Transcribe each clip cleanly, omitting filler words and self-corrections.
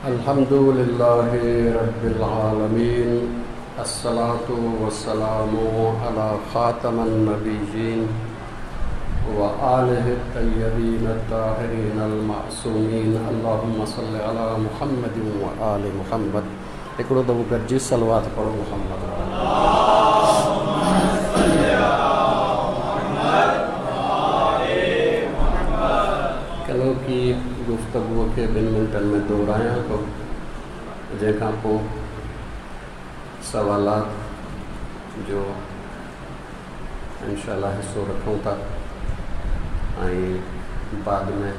الحمد لله رب العالمين الصلاة والسلام على خاتم النبيين وآله الطيبين الطاهرين المعصومين اللهم صل على محمد وآل محمد هڪڙو دفعو گڏجي صلوات پڙهو محمد ڪلهوڪي گفتگوء کي ٻن منٽن ۾ دهرايان ٿو جنهن کان پوء سوالات جو انشاء الله حصو رکون ٿا ۽ بعد ۾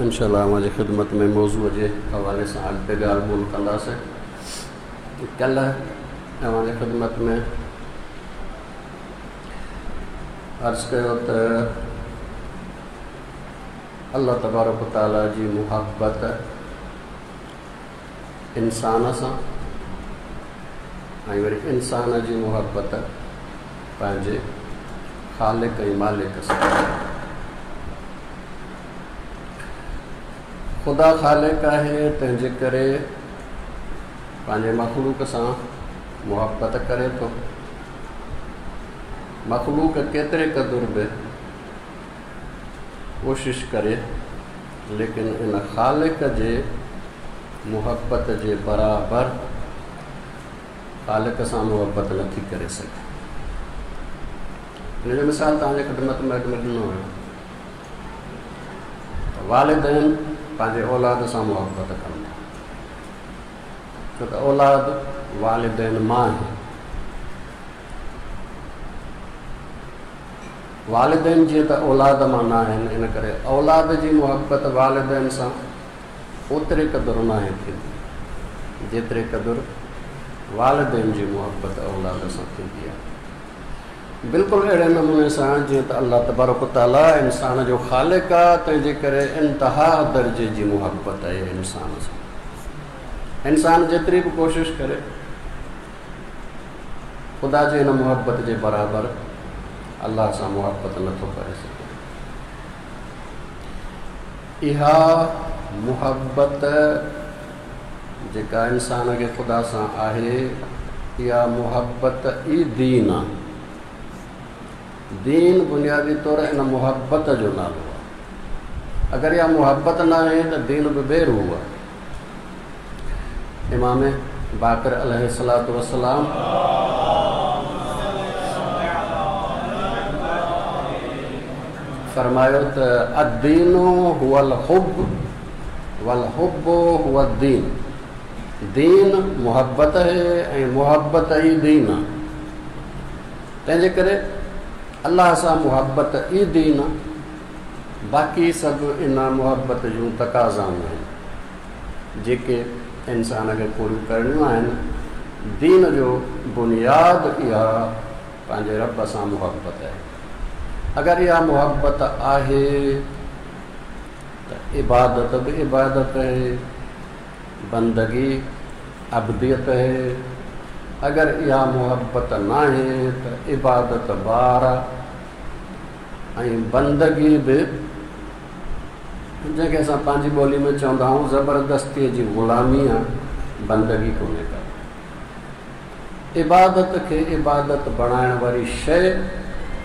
انشاء الله اوهان جي خدمت ۾ موضوع جي حوالي سان اڳتي ڳالهه ٻولهه ڪنداسين. ڪلهه اوهان جي خدمت ۾ عرض ڪيو ته الله تبارڪ وتعاليٰ جي محبت انسان سان ۽ وري انسان جي محبت پنهنجي خالق ۽ مالڪ سان. خدا خالق آهي تنهن جي ڪري پنهنجي مخلوق سان محبت ڪري ٿو. مخلوق ڪيتري قدر به ڪوشش ڪري ليڪن ان خالق جي محبت جي برابر خالق سان محبت نٿي ڪري سگهي. ان جو مثال توهان جي خدمت ۾ اڳ ۾ ڏنو ويو ته والدين پنهنجي اولاد سان محبت ڪن ٿا ڇو ته اولاد والدين مان آهي. والدين جيئن ته اولاد مان نه آهن ان ڪري اولاد جي محبت والدين سان اوتري قدر ناهي ٿيندي جيتري قدر والدين جي محبت اولاد سان ٿيندي آهي. بلڪل اهڙي نموني سان جيئن ته الله تبارڪ وتعاليٰ انسان جو خالق آهي تنهن جي ڪري انتها درجي جي محبت آهي انسان سان. انسان جيتري به ڪوشش ڪري خدا جي هن محبت جي برابر الله سان محبت نٿو ڪري سگهي. اها محبت جيڪا انسان کي خدا سان آهي، اها محبت ئي دين آهي. دين بنيادي طور ان محبت جو نالو آهي. اگر اها محبت ناهي ته دين به بي روح آهي. امام باقر عليه الصلوة والسلام فرمايو ته الدين هو الحب والحب هو الدين دين محبت آهي ۽ محبت ئي دين آهي تنهن جي ڪري الله سان محبت ئي دين آهي باقي سڀ ان محبت جون تقاضائون آهن جيڪي انسان کي پوريون ڪرڻيون آهن. دين جو بنياد اها پنهنجي رب سان محبت آهي. اگر اها محبت آهي ته عبادت به عبادت آهي، بندگي عبديت آهي. اگر اها محبت ناهي ته عبادت بار آهي. ۽ بندگي به جنهن کي اسان پنهنجي ٻولي ۾ چوندا آهيون زبردستيء جي غلامي آ، بندگي ڪونهي ڪا. عبادت کي عبادت بڻائڻ واري شيء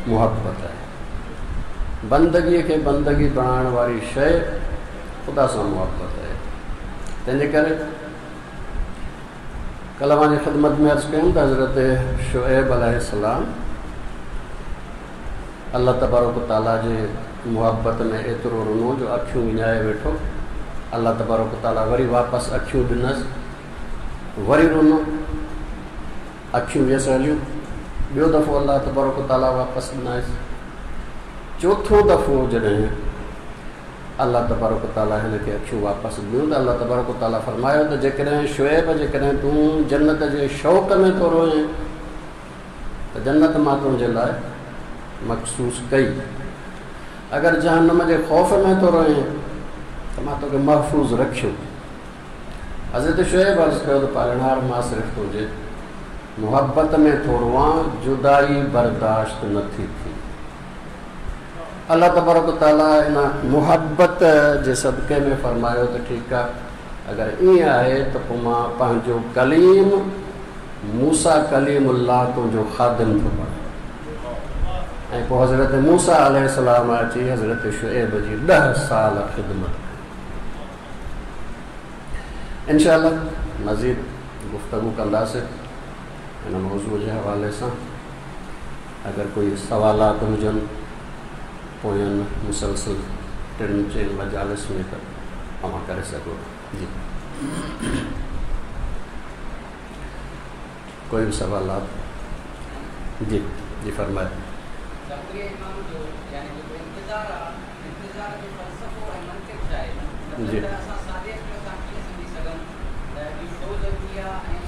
محبت آهي. بندگيء کي بندگي بڻائڻ واري شيء خدا سان محبت آهي. تنهن جي ڪري ڪلهه اوهان جي خدمت ۾ عرض ڪيم ته حضرت شعيب عليه السلام الله تبارڪ و تعاليٰ جي محبت ۾ ايترو رنو جو اکيون وڃائي ويٺو. الله تبارڪ و تعاليٰ وري واپس اکيون ڏنس، وري رنو، اکيون ويس هليون، ٻيو دفعو الله تبارڪ و تعاليٰ واپس ڏنائس. چوٿون دفعو جڏهن الله تبارڪ و تعاليٰ هن کي اکيون واپس ڏنيون ته الله تبارڪ و تعاليٰ فرمايو ته جيڪڏهن شعيب جيڪڏهن تون جنت جي شوق ۾ ٿو روئين ته جنت مان تنهنجي لاء مخصوص ڪئي. اگر جهنم جي خوف ۾ ٿو رهين ته مان توکي محفوظ رکيو. حضرت شعيب عرض ڪيو ته پالڻهار مان صرف تنهنجي محبت ۾ ٿو روئان، جدائي برداشت نه ٿي ٿئي. الله تبارڪ و تعاليٰ ان محبت جي صدقي ۾ فرمايو ته ٺيڪ آهي، اگر ائين آهي ته پوء مان پنهنجو ڪليم موسيٰ ڪليم الله تنهنجو خادم ٿو بڻايان. ۽ پوء حضرت موسيٰ عليه السلام اچي حضرت شعيب جي ڏهه سال خدمت ڪئي. انشاء الله مزيد گفتگو ڪنداسين هن موضوع جي حوالي سان. اگر ڪوئي سوالات هجن پوين مسلسل ٽن چئن مجالس ۾ ته اوهان ڪري سگهو ٿا. جي ڪوئي به سوالات؟ جي جي فرمايو. ظهور امام جو يعني جيڪو انتظار آ انتظار جو فلسفو ۽ منطق ڇا آهي؟ مطلب ته اسان سادي عقل سان ڪيئن سمجهي سگهون ته اهو ڇو ضروري آ ۽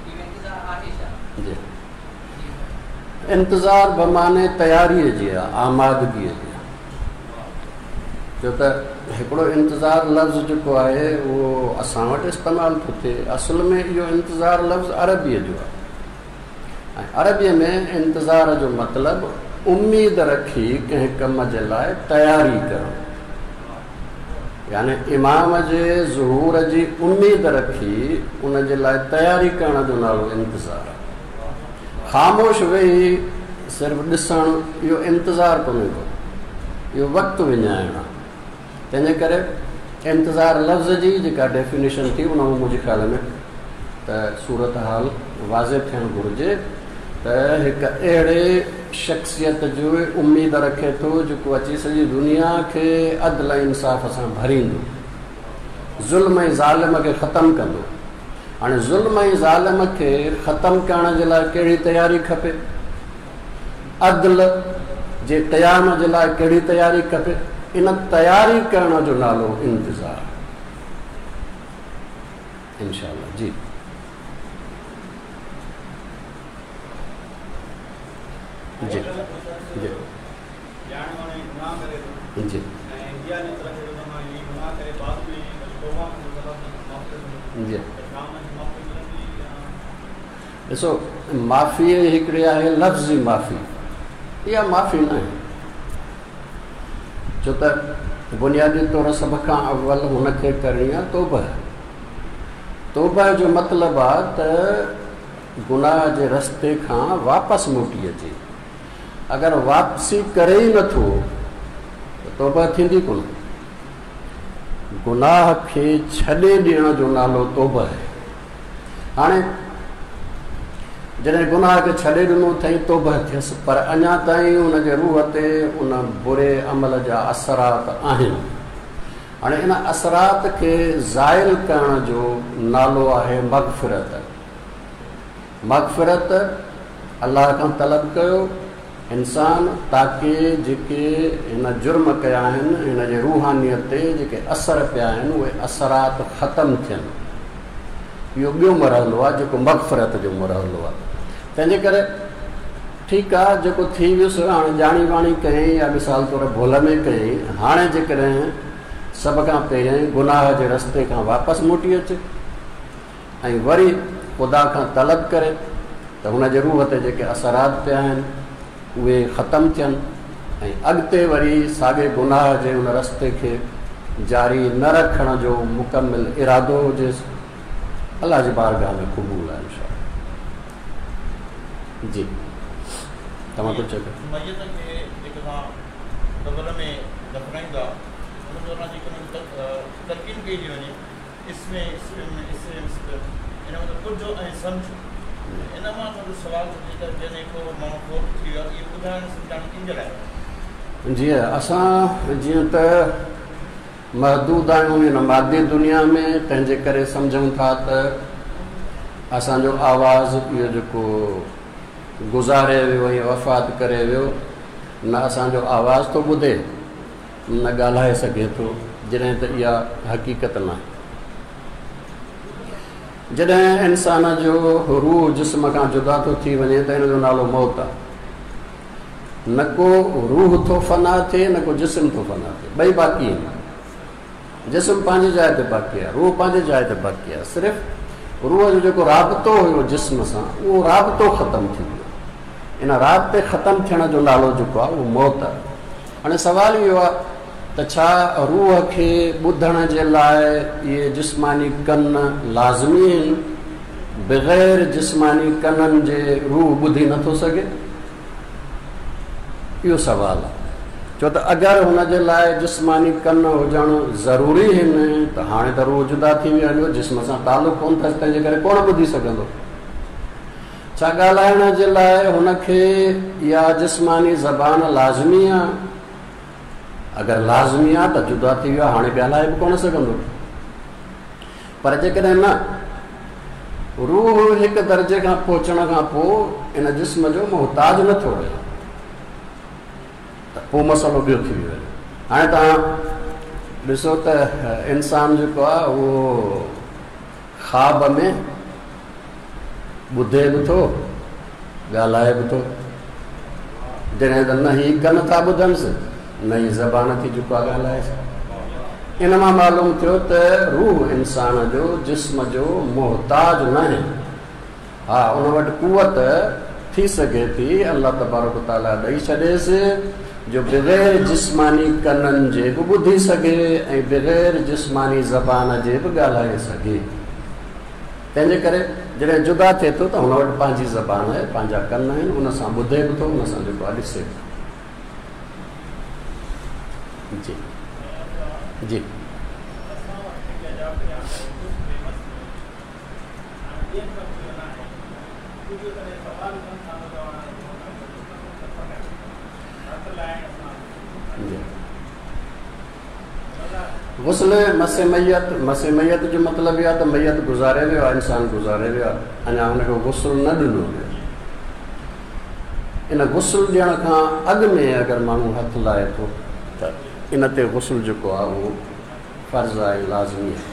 اهو انتظار آهي ڇا؟ جي انتظار بمعني تياريء جي آ، آمادگيء جي آ. ڇو ته هڪڙو انتظار لفظ جيڪو آهي اهو اسان وٽ استعمال ٿو ٿئي، اصل ۾ اهو انتظار لفظ عربيء جو آهي ۽ عربيء ۾ انتظار جو مطلب اميد رکي ڪنهن ڪم جي لاء تياري ڪرڻ، يعني امام جي ظهور جي اميد رکي ان جي لاء تياري ڪرڻ جو نالو انتظار آهي. خاموش ويهي صرف ڏسڻ اهو انتظار ڪونهي ڪو، اهو وقت وڃائڻ آهي. تنهن جي ڪري انتظار لفظ جي جيڪا ڊيفينيشن ٿي ان مان منهنجي خيال ۾ ته صورتحال واضح ٿيڻ گهرجي ته هڪ اهڙي شخصيت جي اميد رکي ٿو جيڪو اچي سڄي دنيا کي عدل ۽ انصاف سان ڀريندو، ظلم ۽ ظالم کي ختم ڪندو. هاڻي ظلم ۽ ظالم کي ختم ڪرڻ جي لاء ڪهڙي تياري کپي؟ عدل جي قيام جي لاء ڪهڙي تياري کپي؟ ان تياري ڪرڻ جو نالو انتظار. انشاء الله جي جي جي جي جي ڏسو معافي هڪڙي آهي لفظي معافي، اها معافي نه آهي، ڇو ته بنيادي طور سڀ کان اول هن کي ڪرڻي آهي توبه. توبه جو مطلب آهي ته گناهه جي رستي کان واپس موٽي اچي. اگر واپسي ڪري ئي نٿو ته توبه ٿيندي ڪونه. گناهه کي ڇڏي ڏيڻ جو نالو توبه آهي. هاڻي جڏهن گناهه کي ڇڏي ڏنو اٿئي، توبه ٿيس، پر اڃا تائين ان جي روح تي ان بري عمل جا اثرات آهن. هاڻي ان اثرات کي زائل ڪرڻ جو نالو آهي مغفرت. مغفرت الله کان طلب ڪيو انسان تاڪه جيڪي هن جرم ڪيا آهن، هن جي روحانيت تي جيڪي اثر پيا آهن، اهي اثرات ختم ٿين. اهو ٻيو مرحلو آهي جيڪو مغفرت جو مرحلو آهي. تنهن جي ڪري ٺيڪ آهي جيڪو ٿي ويس، هاڻي ڄاڻي واڻي ڪيائين يا مثال طور ڀل ۾ ڪيائين، هاڻي جيڪڏهن سڀ کان پهريائين گناهه جي رستي کان واپس موٽي اچي ۽ وري خدا کان طلب ڪري ته هن جي روح تي جيڪي اثرات پيا آهن اهي ختم ٿين ۽ اڳتي وري ساڳئي گناهه جي ان رستي کي جاري نه رکڻ جو مڪمل ارادو هجيس، الله جي بارگاهه ۾ قبول آهي انشاء الله. جي توهان ڪجهه چئو. ميت کي جيڪڏهن قبر ۾ دفنائيندا ان دوران جيڪڏهن تلقين ڪئي ٿي وڃي اسم اسم اسم اسم ان مطلب ٻڌ ۽ سمجھ. ان مان ٿورو سوال ٿو ٿئي ته جڏهن ڪو ماڻهو فوت ٿي ويو آهي ته اهو ٻڌائڻ سمجھائڻ ڪنهن جي لاء آهي؟ جي اسان جيئن ته محدود آهيون هن مادي دنيا ۾ تنهن جي ڪري سمجھون ٿا ته اسان جو آواز اهو جيڪو گذاري ويو ۽ وفات ڪري ويو نه اسان جو آواز ٿو ٻڌي نه ڳالهائي سگهي ٿو، جڏهن ته اها حقيقت ناهي. جڏهن انسان جو روح جسم کان جدا ٿو ٿي وڃي ته ان جو نالو موت آهي. نه ڪو روح ٿو فنا ٿئي نه ڪو جسم ٿو فنا ٿئي، ٻئي باقي آهن. جسم پنهنجي جاء تي باقي آهي، روح پنهنجي جاء تي باقي آهي. صرف روح جو جيڪو رابطو هيو جسم سان اهو رابطو ختم ٿي ويو. ان رابطي ختم ٿيڻ جو نالو جيڪو آهي اهو موت آهي. هاڻي سوال اهو آهي ته ڇا روح کي ٻڌڻ جي لاء اهي جسماني ڪن لازمي آهن؟ بغير جسماني ڪنن جي روح ٻڌي نٿو سگهي؟ اهو سوال آهي. ڇو ته اگر هن جي لاء جسماني ڪن هجڻ ضروري آهن ته هاڻي ته روح جدا ٿي ويو هليو، جسم سان تعلق ڪونه اٿس، تنهن جي ڪري ڪونه ٻڌي سگهندو. ڇا ڳالهائڻ جي لاء هن کي اها جسماني زبان لازمي آهي؟ اگر لازمي آهي ته جدا ٿي ويو آهي، هاڻي ڳالهائي به ڪونه سگهندو. پر جيڪڏهن نه، روح هڪ درجي کان پهچڻ کان پوء ان جسم جو محتاج نه ٿو رهي ته پوء مسئلو ٻيو ٿي ويو. هاڻي توهان ڏسو ته انسان جيڪو آهي اهو خواب ۾ ٻڌي به ٿو، ڳالهائي به ٿو. جڏهن ته نه هي ڪن ٿا ٻڌنس، نه هي زبان ٿي جيڪو آهي ڳالهائيس. ان مان معلوم ٿيو ته روح انسان جو جسم جو محتاج ناهي. ها، ان وٽ قوت ٿي سگهي ٿي، الله تبارڪ وتعاليٰ ڏئي ڇڏيس، جو بغير جسماني ڪنن جي به ٻڌي سگهي ۽ بغير جسماني زبان جي به ڳالهائي سگهي. تنهن جي ڪري جڏهن جدا ٿئي ٿو ته هن وٽ پنهنجي زبان آهي، پنهنجا ڪن آهن، ان سان ٻڌي به ٿو، ان سان جيڪو آهي ڏسي به ٿو. جي جي. غسل مس ميت، مس ميت جو مطلب اهو آهي ته ميت گذاري ويو آهي، انسان گذاري ويو آهي، اڃا هن کي غسل نه ڏنو ويو. ان غسل ڏيڻ کان اڳ ۾ اگر ماڻهو هٿ لائي ٿو ته ان تي غسل جيڪو آهي اهو فرض آهي، لازمي آهي.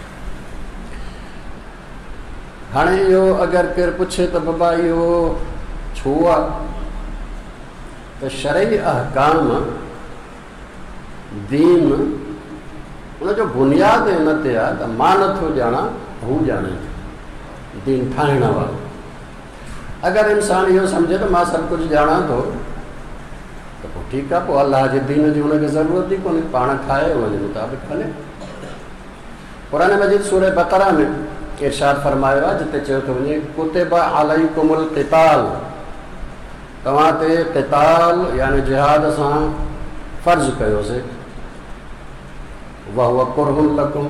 هاڻي اهو اگر ڪير پڇي ته بابا اهو ڇو آهي ته شرعي احڪام دين ان جو بنياد ان تي آهي ته مان نٿو ڄاڻان هو ڄاڻي ٿو، دين ٺاهڻ وارو. اگر انسان اهو سمجهي ته مان سڀ ڪجهه ڄاڻان ٿو ته پوء ٺيڪ آهي، پوء الله جي دين جي هن کي ضرورت ئي ڪونهي، پاڻ ٺاهي ان جي مطابق هلي. قرآن مجيد سورة بقره ۾ ارشاد فرمايو آهي جتي چيو ٿو وڃي ڪتب عليڪم القتال، توهان تي قتال يعني جهاد سان فرض ڪيوسي، وهو ڪره لڪم،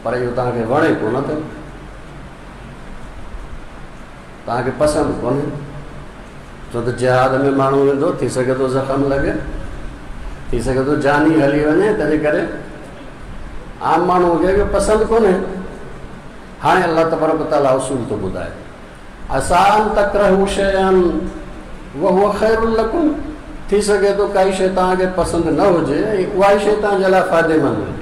پر اهو توهان کي وڻي ڪونه ٿو، توهان کي پسند ڪونهي، ڇو ته جهاد ۾ ماڻهو ويندو ٿي سگهي ٿو زخم لڳي، ٿي سگهي ٿو جان ئي هلي وڃي، تنهنجي ڪري عام ماڻهوء کي اهو پسند ڪونهي. هاڻي الله تبارڪ وتعاليٰ اصول ٿو ٻڌائي، عسيٰ ان تڪرهوا شيئا وهو خير لڪم، ٿي سگهي ٿو ڪائي شيء توهان کي پسند نه هجي ۽ اها ئي شيء توهان جي لاء فائديمند هجي.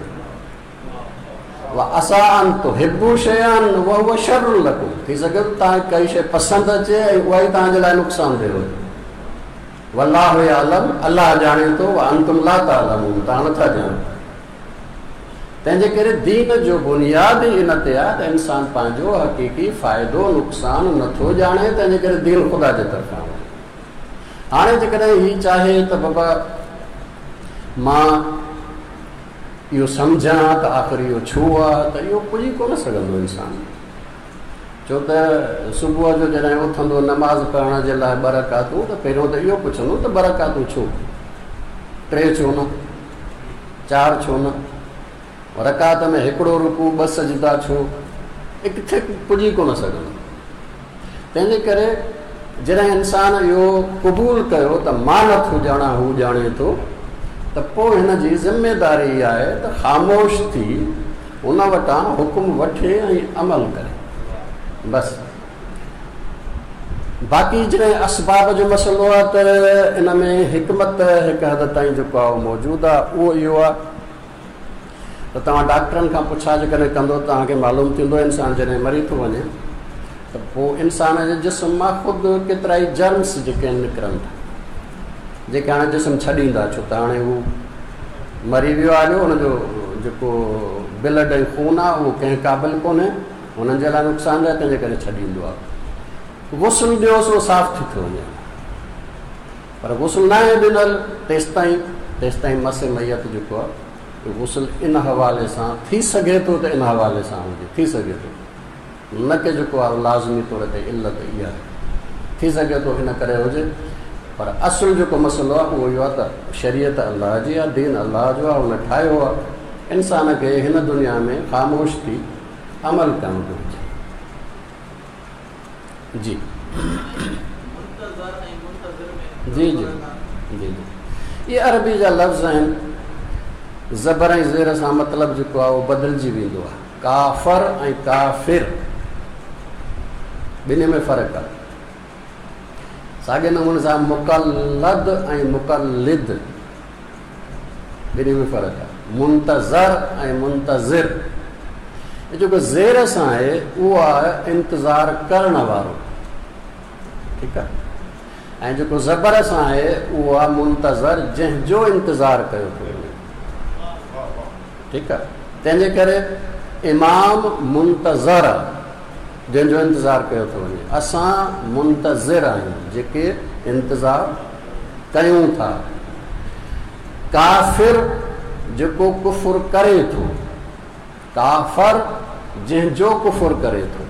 وعسيٰ ان تحبوا شيئا وهو شر لڪم، ٿي سگهي ٿو توهان کي ڪائي شيء پسند اچي ۽ اها ئي توهان جي لاء نقصانده هجي. والله يعلم، الله ڄاڻي ٿو، وانتم لا تعلمون، توهان نٿا ڄاڻو. تنهن جي ڪري دين جو بنياد ئي ان تي آهي ته انسان پنهنجو حقيقي فائدو نقصان نٿو ڄاڻي، تنهن جي ڪري دين خدا جي طرفان آهي. هاڻي جيڪڏهن هي چاهي ته بابا مان اهو سمجهان ته آخر اهو ڇو آهي ته اهو پڄي ڪونه سگهندو انسان، ڇو ته صبح جو جڏهن اٿندو نماز پڙهڻ جي لاء ٻه رڪعتون ته پهريون ته اهو پڇندو ته ٻه رڪعتون ڇو، ٽي ڇو نه، چار ڇو نه، رڪعت ۾ هڪڙو رڪوع ٻه سجدا ڇو، ڪٿي پڄي ڪونه سگهندو. تنهن جي ڪري جڏهن انسان اهو قبول ڪيو ته مان نٿو ڄاڻان هو ڄاڻي ٿو ته پوء هن جي ذميداري اها آهي ته خاموش ٿي هن وٽان حڪم وٺي ۽ عمل ڪري بس. باقي جڏهن اسباب جو مسئلو آهي ته ان ۾ حڪمت هڪ حد تائين جيڪو آهي اهو موجود آهي، اهو اهو آهي ته توهان ڊاڪٽرن کان پڇا جيڪڏهن ڪندو توهان کي معلوم ٿيندو انسان جڏهن مري ٿو وڃي ته پوء انسان جي جسم مان خود ڪيترائي جرمس جيڪي آهن نڪرن ٿا جيڪي هاڻي جسم ڇڏيندا ڇو ته هاڻي هو مري ويو آهي هن جو جيڪو بلڊ ۽ خون آهي اهو ڪنهن قابل ڪونهي هنن جي لاء نقصان ده تنهن جي ڪري ڇڏيندو آهي. غسل ڏيوس اهو صاف ٿي ٿو وڃي پر غسل ناهي ڏنل تيستائين تيستائين مس ميت جيڪو آهي غسل ان حوالي سان ٿي سگهي ٿو ته ان حوالي سان هجي، ٿي سگهي ٿو، نه ڪي جيڪو آهي لازمي طور تي علت اها آهي، ٿي سگهي ٿو ان ڪري هجي، پر اصل جيڪو مسئلو آهي اهو اهو آهي ته شريعت الله جي آهي، دين الله جو آهي، ان ٺاهيو آهي، انسان کي هن دنيا ۾ خاموش ٿي عمل ڪرڻ گهرجي. جي جي جي جي جي اهي عربي جا لفظ آهن. زبر ۽ زير سان مطلب جيڪو آهي اهو بدلجي ويندو آهي. ڪافر ۽ ڪافر ٻنهي ۾ فرق آهي. ساڳي نموني سان مقلد ۽ مقلد ٻنهي ۾ فرق آهي. منتظر ۽ منتظر هي جيڪو زير سان آهي اهو آهي انتظار ڪرڻ وارو، ٺيڪ آهي، ۽ جيڪو زبر سان آهي اهو آهي منتظر، جنهن جو انتظار ڪيو ٿو وڃي، ٺيڪ آهي. تنهن جي ڪري امام منتظر آهي، جنهن جو انتظار ڪيو ٿو وڃي. اسان منتظر آهيون، جيڪي انتظار ڪيون ٿا. ڪافر جيڪو ڪفر ڪري ٿو، ڪافر جنهن جو ڪفر ڪري ٿو،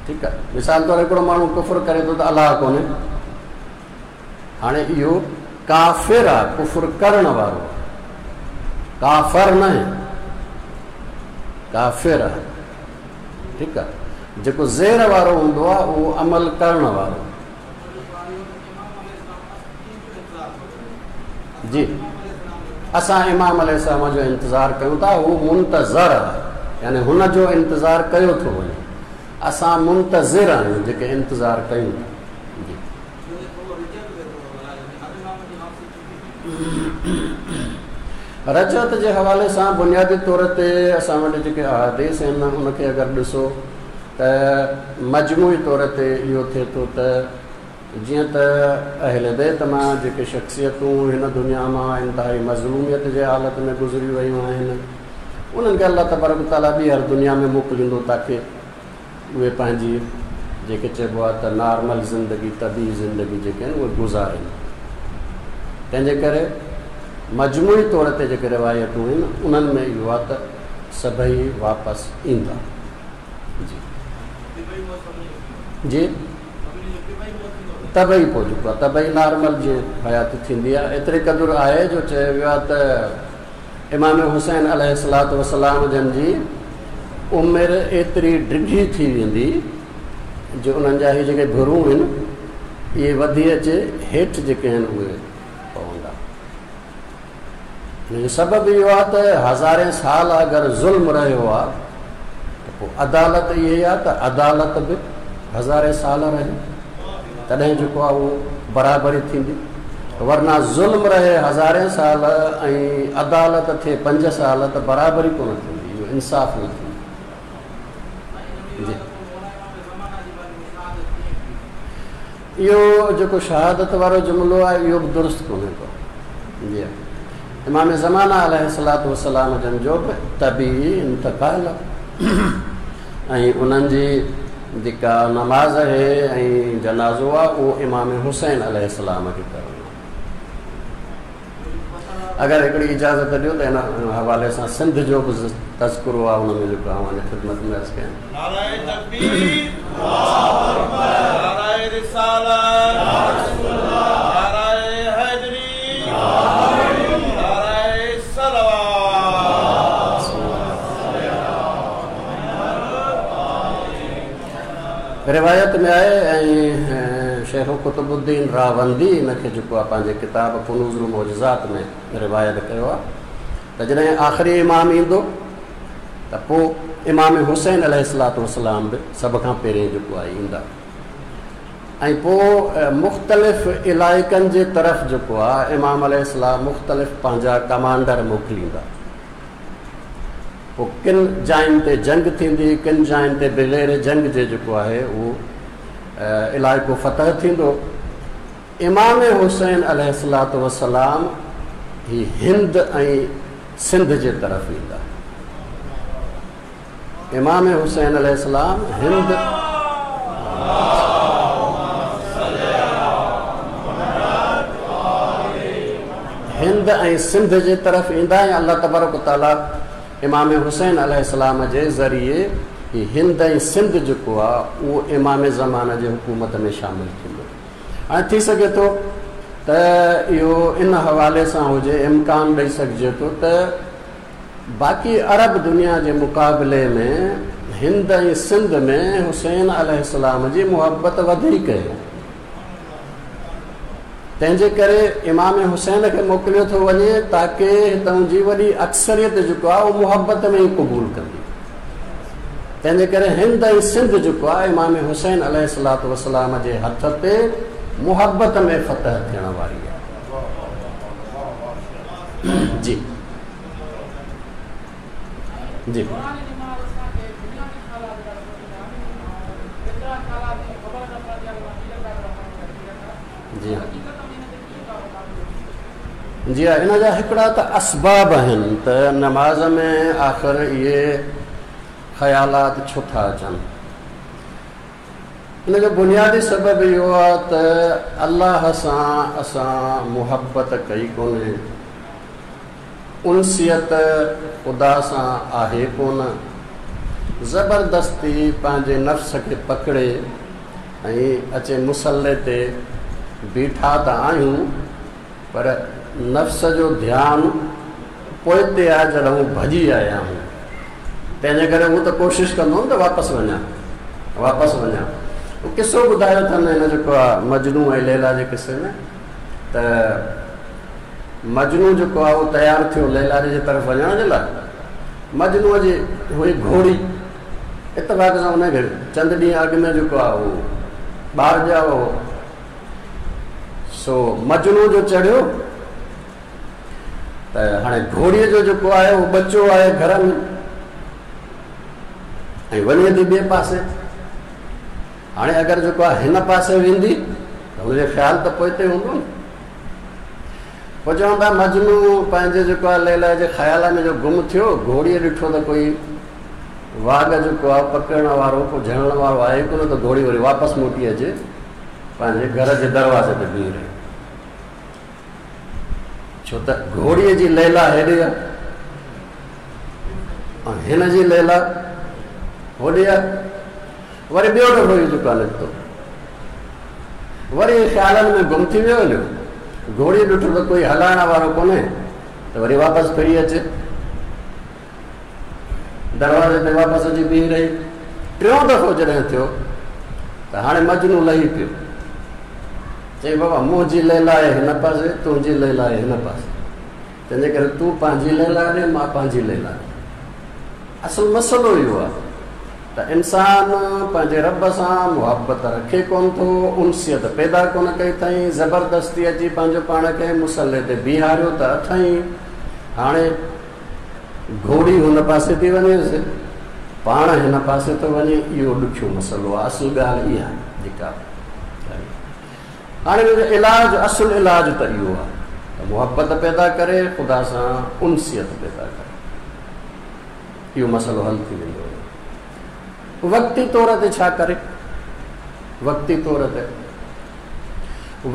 ٺيڪ آهي. مثال طور هڪڙو ماڻهو ڪفر ڪري ٿو ته الله ڪونهي، هاڻي اهو ڪافر آهي، ڪفر ڪرڻ وارو آهي، ڪافر نه آهي، ڪافر آهي، ٺيڪ آهي. جيڪو زير وارو هوندو آهي اهو عمل ڪرڻ وارو. جي اسان امام عليه السلام جو انتظار ڪيون ٿا، هو منتظر آهي، يعني هن جو انتظار ڪيو ٿو وڃي. اسان منتظر آهيون جيڪي انتظار ڪيون ٿا. جي رجعت جي حوالي سان بنيادي طور تي اسان وٽ جيڪي احاديث آهن ان کي اگر ڏسو ته مجموعي طور تي اهو ٿئي ٿو ته جيئن ته اهل بيت مان جيڪي شخصيتون هن دنيا مان انتهائي مظلوميت جي حالت ۾ گذري ويون آهن انهن کي الله تبارڪ وتعاليٰ ٻيهر دنيا ۾ موڪليندو تاڪه اهي پنهنجي جيڪي چئبو آهي ته نارمل زندگي، طبيعي زندگي جيڪي آهن اهي گذارين. تنهن جي ڪري مجموعي طور تي جيڪي روايتون آهن انهن ۾ اهو آهي ته سڀئي واپس ايندا. جي جي طبعي پوء جيڪو آهي طبعي نارمل جيئن حياتي ٿيندي آهي. ايتري قدر آهي جو چيو ويو آهي ته امام حسين عليه الصلوة والسلام جن جي عمر ايتري ڊگهي ٿي ويندي جو انهن جا هي جيڪي ڀرون آهن اهي وڌي اچي هيٺ جيڪي آهن اهي پوندا. ان جو سبب اهو آهي ته هزارين سال اگر ظلم رهيو آهي ته پوء عدالت اهي آهي ته عدالت به هزارين سال رهي تڏهن جيڪو آهي اهو برابري ٿيندي، ورنه ظلم رهي هزارين سال ۽ عدالت ٿئي 5 سال ته برابري ڪونه ٿيندي، اهو انصاف نه ٿيندو. جي اهو جيڪو شهادت وارو جملو آهي اهو به درست ڪونهي ڪو. جي امام زمانه عليه الصلوة والسلام جن جو به طبيعي انتقال ۽ انهن جي جيڪا نماز آهي ۽ جنازو آهي اهو امام حسين عليه السلام کي ڪرڻو آهي. اگر هڪڙي اجازت ڏيو ته ان حوالي سان سنڌ جو به تذڪرو آهي ان ۾ جيڪو اوهان جي خدمت ۾ عرض ڪيان. نعره تڪبير، نعره رسالت، نعره حيدري، نعره صلوات. روايت ۾ آهي ۽ شيخ قطب الدين راوندي ان کي جيڪو آهي پنهنجي ڪتاب ڪنوز المعجزات ۾ روايت ڪيو آهي ته جڏهن آخري امام ايندو ته پوء امام حسين عليه الصلوة والسلام به سڀ کان پهرين جيڪو آهي ايندا ۽ پوء مختلف علائقن جي طرف جيڪو آهي امام عليه السلام مختلف پنهنجا ڪمانڊر موڪليندا. پوء ڪن جاين تي جنگ ٿيندي، ڪن جاين تي بغير جنگ جي جيڪو آهي اهو علائقو فتح ٿيندو. امام حسين عليه الصلوة والسلام هي هند ۽ سنڌ جي طرف ايندا. امام حسين عليه السلام هند هند ۽ سنڌ جي طرف ايندا ۽ الله تبارڪ و تعاليٰ امام حسين عليه السلام جي ذريعي هي هند ۽ سنڌ جيڪو آهي اهو امام زمان جي حڪومت ۾ شامل ٿيندو. هاڻي ٿي سگهي ٿو ته اهو ان حوالي سان هجي، امڪان ڏئي سگهجي ٿو ته باقي عرب دنيا جي مقابلي ۾ هند ۽ سنڌ ۾ حسين عليه السلام جي محبت وڌيڪ هئي، تنهن جي ڪري امام حسين کي موڪليو ٿو وڃي تاڪه هتان جي وڏي اڪثريت جيڪو آهي اهو محبت ۾ ئي قبول ڪندي. تنهن جي ڪري هند ۽ سنڌ جيڪو آهي امام حسين عليه الصلوة والسلام جي هٿ تي محبت ۾ فتح ٿيڻ واري آهي. جي جي جي ها جي ها ان جا هڪڙا ته اسباب آهن ته نماز ۾ آخر اهي خيالات ڇو ٿا اچن. ان جو بنيادي سبب اهو آهي ته الله سان اسان محبت ڪئي ڪونهي، انسيت خدا سان آهي ڪونه، زبردستي پنهنجي نفس کي پڪڙي ۽ اچي مصلي تي بيٺا ته آهيون پر نفس جو ڌيان پوئتي آهي جڏهن ڀڄي آيا آهيون تنهن جي ڪري هو ته ڪوشش ڪندو نه ته واپس وڃان واپس وڃان. هو قصو ٻڌايو اٿن هن جيڪو آهي مجنون ۽ ليلا جي قصي ۾ ته مجنون جيڪو آهي اهو تيار ٿيو ليلا جي طرف وڃڻ جي لاء. مجنونء جي هئي گهوڙي اتفاق سان ان کي چند ڏينهن اڳ ۾ جيڪو آهي اهو ٻار ڄائو هو. سو مجنون جو چڙهيو ته هاڻي گهوڙيء جو جيڪو آهي اهو ٻچو آهي گهر ۾ ۽ وڃي ٿي ٻئي پاسي. هاڻي اگر جيڪو آهي هن پاسي ويندي ته هن جو خيال ته پوئتي هوندو نه. پوء چون ٿا مجنون پنهنجي جيڪو آهي ليلا جي خيال ۾ جو گم ٿيو، گهوڙيء ڏٺو ته ڪوئي واڳ جيڪو آهي پڪڙڻ وارو ڪو جهلڻ وارو آهي ڪونه ته گهوڙي وري واپس موٽي اچي پنهنجي گهر جي دروازي تي بيهي رهي. ڇو ته گهوڙيء جي ليلا هيڏي آهي ۽ هن جي ليلا هوڏي آهي. وري ٻيو دفعو اهو جيڪو آهي نڪتو وري خيالن ۾ گم ٿي ويو هليو. گهوڙيء ڏٺو ته ڪوئي هلائڻ وارو ڪونهي ته وري واپس ڦري اچي دروازي تي واپس اچي بيهي رهي. ٽيون دفعو جڏهن ٿيو ته هاڻي مجنون لهي پيو. چيائين بابا منهنجي ليلا آهي هن پاسي، تنهنجي ليلا آهي هن پاسي، تنهنجي ڪري تون پنهنجي ليلا ڏي، مان پنهنجي ليلا ڏي. اصل مسئلو اهو آهي ته انسان پنهنجي رب سان محبت رکي ڪونه ٿو، انسيت پيدا ڪونه ڪئي اٿائين، زبردستي اچي پنهنجو پاڻ کي مصلي تي بيهاريو ته اٿائين. هاڻي گهوڙي هن پاسي ٿي وڃيس، پاڻ هن پاسي ٿو وڃي، اهو ڏکيو مسئلو آهي. اصل ڳالهه اها آهي جيڪا هاڻي ان جو علاج، اصل علاج ته اهو آهي ته محبت پيدا ڪري، خدا سان انسيت پيدا ڪري، اهو مسئلو حل ٿي ويندو. وقتي طور تي ڇا ڪري؟ وقتي طور تي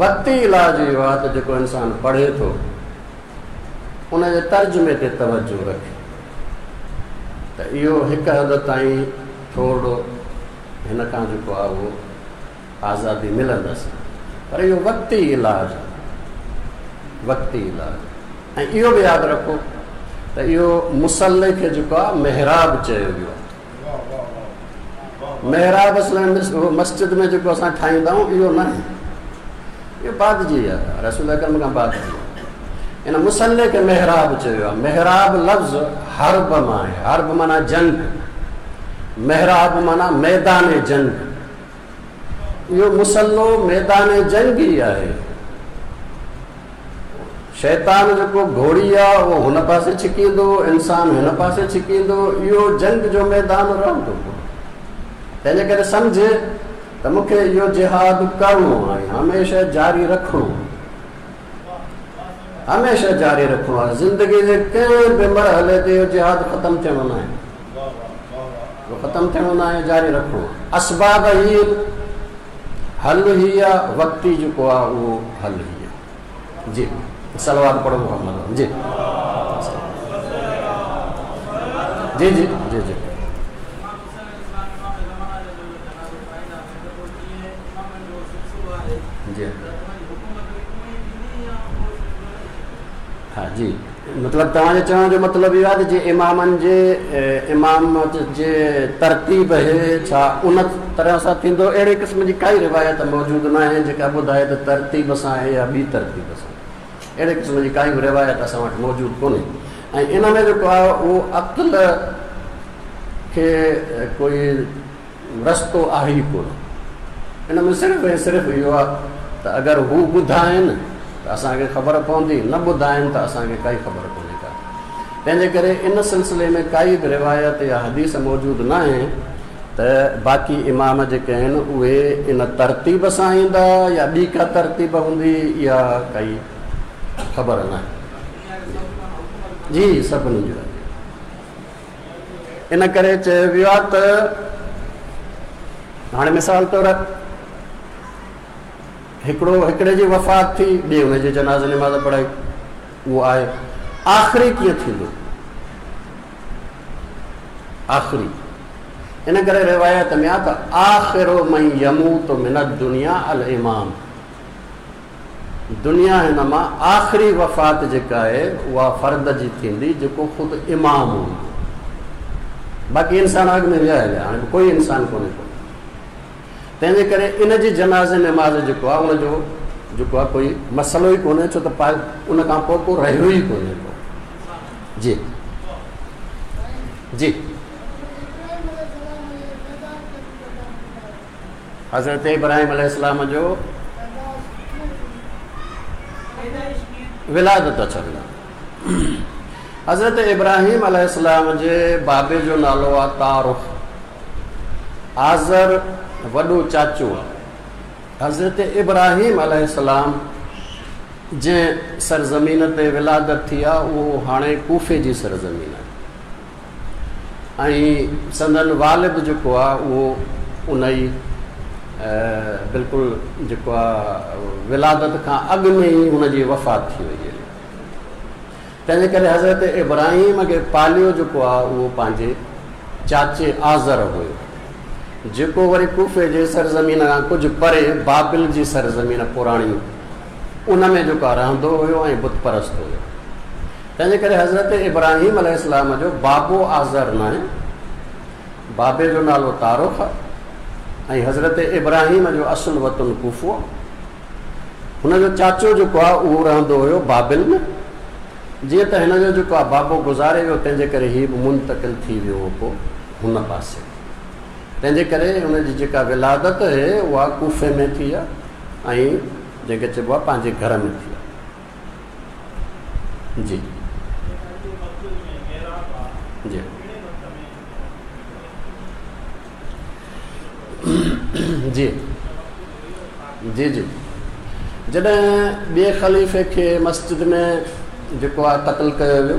وقتي علاج اهو آهي ته جيڪو انسان پڙهي ٿو ان جي ترجمي تي توجه رکي ته اهو هڪ حد تائين ٿورڙو هن کان جيڪو آهي اهو آزادي ملندس، پر اهو وقتي علاج آهي، وقتي علاج. ۽ اهو به ياد رکو ته اهو مصلي کي جيڪو آهي محراب چيو ويو آهي. محراب اصل ۾ مسجد ۾ جيڪو اسان ٺاهيندا آهيون اهو نه آهي، اهو بعد جي آهي، رسول اڪرم کان بعد جي آهي. ان مصلي کي محراب چيو آهي. محراب لفظ حرب مان آهي، حرب معنيٰ جنگ، محراب معنيٰ ميدان جنگ. اهو مصلو ميدان جنگ ئي آهي. شيطان جيڪو گهوڙي آ اهو هن پاسي ڇڪيندو، انسان هن پاسي ڇڪيندو، اهو جنگ جو ميدان رهندو. تنهن جي ڪري سمجهه ته مون کي اهو جهاد ڪرڻو آهي، هميشه جاري رکڻو آهي، هميشه جاري رکڻو آهي. زندگي جي ڪنهن به مرحلي تي اهو جهاد ختم ٿيڻو ناهي، اهو ختم ٿيڻو ناهي، جاري رکڻو آهي. اسباب هي آهن، حل هي آهي، وقتي جيڪو آهي اهو حل هي آهي. جي. صلوات پڙهو محمد جي جي جي جي جي جي ها جي مطلب توهان جي چوڻ جو مطلب اهو آهي ته جي امامن جي امامت جي ترتيب هي ڇا ان طرح سان ٿيندو؟ اهڙي قسم جي ڪائي روايت موجود ناهي جيڪا ٻڌائي ته ترتيب سان آهي يا ٻي ترتيب سان. اهڙي قسم جي ڪائي به روايت اسان وٽ موجود ڪونهي ۽ ان ۾ جيڪو آهي اهو عقل کي ڪوئي رستو آهي ئي ڪونه. ان ۾ صرف ۽ صرف اهو آهي ته اگر هو ٻڌائين ته اسان کي خبر پوندي، نه ٻڌائين ته اسان کي ڪائي خبر ڪونهي ڪا. تنهن جي ڪري ان سلسلي ۾ ڪائي به روايت يا حديث موجود ناهي ته باقي امام جيڪي آهن اهي ان ترتيب سان ايندا يا ٻي ڪا ترتيب هوندي اها ڪائي خبر ناهي. جي سڀني جو آهي. ان ڪري چيو ويو آهي ته هاڻي مثال طور هڪڙو هڪڙي جي وفات ٿي ٻئي ان جي جنازي نماز پڙهائي اهو آهي آخري ڪيئن ٿيندو آخري ان ڪري روايت ۾ آ ته آخر من يموت من الدنيا الامام دنيا هن مان آخري وفات جيڪا آهي اها فرد جي ٿيندي جيڪو خود امام هوندو. باقي انسان اڳ ۾ ويا هليا هاڻي ڪوئي انسان ڪونهي ڪو. تنهن جي ڪري ان جي جنازي نماز جيڪو آهي ان جو جيڪو آهي ڪوئي مسئلو ئي ڪونهي ڇو ته ان کان پوء ڪو رهيو ئي ڪونهي ڪو. جي جي حضرت ابراهيم عليه السلام جو ولادت اڇا ولادت حضرت ابراهيم عليه السلام جي بابي جو نالو آ تارخ آزر وڏو چاچو آ حضرت ابراهيم عليه السلام جنهن سرزمين تي ولادت ٿي آ اهو هاڻي ڪوفي جي سرزمين آهي ۽ سندن والد جيڪو آ اهو ان ئي بلڪل جيڪو آ ولادت کان اڳ ۾ ئي هن جي وفات ٿي وئي هئي تنهن جي ڪري حضرت ابراهيم کي پاليو جيڪو آ اهو پنهنجي چاچي آزر هيو جيڪو وري ڪوفي جي سرزمين کان ڪجهه پري بابل جي سرزمين پراڻي ان ۾ جيڪو آ رهندو هيو ۽ بت پرست هيو تنهن جي ڪري حضرت ابراهيم عليه السلام جو بابو آزر ناهي، بابي جو نالو تارخ آهي ۽ حضرت ابراهيم جو اصل وطن ڪوفو آهي. هن جو چاچو جيڪو آهي اهو رهندو هيو بابل ۾. جيئن ته هن جو جيڪو آهي بابو گذاري ويو تنهن جي ڪري هي به منتقل ٿي ويو هو پوء هن پاسي. تنهن جي ڪري هن جي جيڪا ولادت اهي اها ڪوفي ۾ ٿي آهي ۽ جنهن کي چئبو آهي پنهنجي گهر ۾ ٿي آهي. جي جي جي جي جي جڏهن ٻئي خليفي کي مسجد ۾ جيڪو آهي قتل ڪيو ويو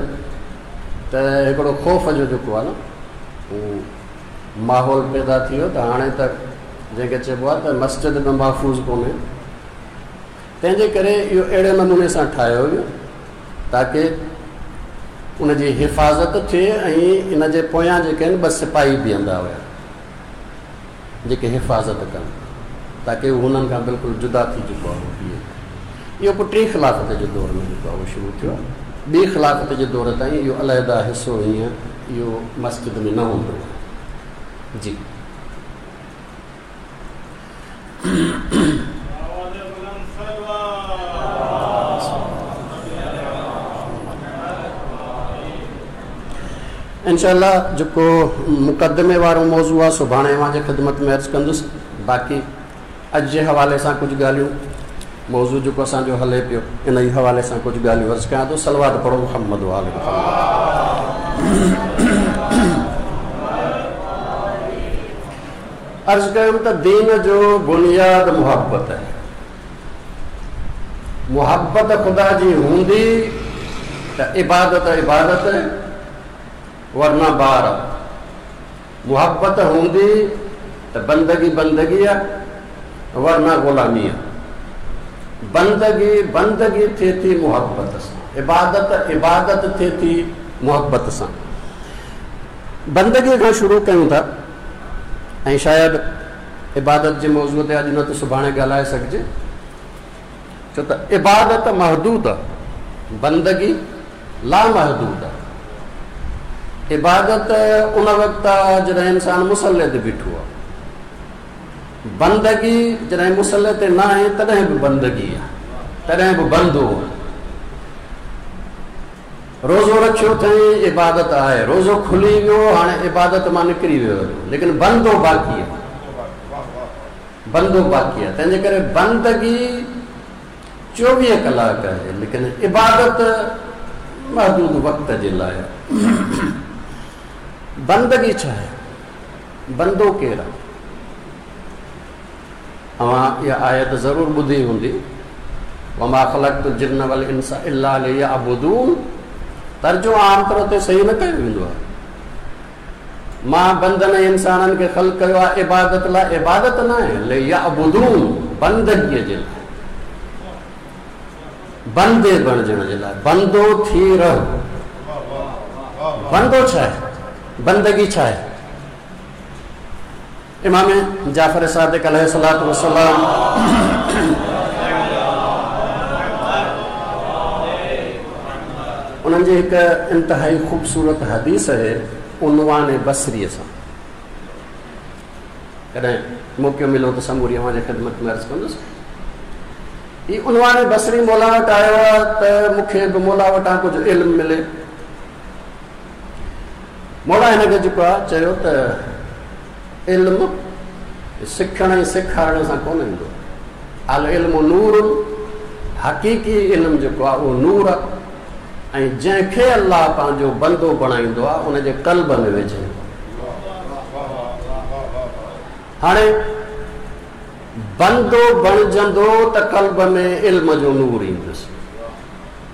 ته هڪڙو خوف جو جيڪو آهي نه هو ماحول پيدا ٿي ويو ته هاڻي ته جنهن کي چئبو آهي ته مسجد به محفوظ ڪونهي تنهن جي ڪري اهو اهڙي نموني سان ٺاهيو ويو تاڪه ان جي حفاظت ٿئي ۽ ان جي پويان جيڪي آهن ٻه سپاهي بيهندا هيا جيڪي حفاظت ڪن تاڪه هو هنن کان بلڪل جدا ٿي چڪو آهي بيهي. اهو پوء ٽين خلافت جي دور ۾ جيڪو آهي اهو شروع ٿيو. ٻي خلافت جي دور تائين اهو علحده حصو هيئن اهو مسجد ۾ نه هوندو هو. جي. انشاء الله جيڪو مقدمي وارو موضوع آهي سڀاڻي اوهان جي خدمت ۾ عرض ڪندس باقي اڄ جي حوالي سان ڪجهه ڳالهيون موضوع جيڪو اسان جو هلي پيو ان ئي حوالي سان ڪجهه ڳالهيون عرض ڪيان ٿو صلوات پڙهو محمد وآل محمد. عرض ڪيم ته دين جو بنياد محبت آهي. محبت خدا جي هوندي ته عبادت عبادت ورنه بار آهي. محبت هوندي ته بندگي بندگي آهي ورنه غلامي آهي. بندگي بندگي ٿئي ٿي محبت سان، عبادت عبادت ٿئي ٿي محبت سان. بندگيء کان شروع ڪيون ٿا ۽ شايد عبادت جي موضوع تي اڄ نه ته سڀاڻي ڳالهائي سگهجي، ڇو ته عبادت محدود آهي، بندگي لامحدود آهي. عبادت ان وقت آهي جڏهن انسان مصلي تي بيٺو آهي. بندگي جڏهن مصلي تي نه آهي تڏهن به بندگي آهي، تڏهن به بندو آهي. روزو رکيو اٿئي عبادت آهي، روزو کلي ويو هاڻي عبادت مان نڪري ويو ليڪن بندو باقي آهي، بندو باقي آهي. تنهنجي ڪري بندگي 24 ڪلاڪ آهي ليڪن عبادت محدود وقت جي لاء آهي. بندگي ڇا آهي؟ بندو ڪير آهي؟ اوهان اها آيت ضرور ٻڌي هوندي، وما خلقت الجن والانس الا ليعبدون. ترجمو عام طور تي صحيح نه ڪيو ويندو آهي. مان بندن ۽ انسانن کي خلق ڪيو آهي عبادت لاء، عبادت نه آهي، ليعبدون بندگيء جي لاء، بندي بڻجڻ جي لاء، بندو ٿي رهه. بندو ڇا آهي؟ بندگي ڇا آهي؟ امام جعفر صادق عليه الصلوة والسلام انهن جي هڪ انتهائي خوبصورت حديث آهي عنوان بصريء سان. ڪڏهن موقعو مليو ته سموري اوهان جي خدمت ۾ عرض ڪندس. هي عنوان بصري مولا وٽ آيو آهي ته مون کي به مولا وٽان ڪجهه علم ملي. مولا هن کي جيڪو آهي چيو ته علم سکڻ ۽ سيکارڻ سان ڪونه ايندو. العلم نور، حقيقي علم جيڪو آهي اهو نور آهي ۽ جنهن کي الله پنهنجو بندو بڻائيندو آهي ان جي قلب ۾ وجهندو آهي. هاڻي بندو بڻجندو ته قلب ۾ علم جو نور ايندس.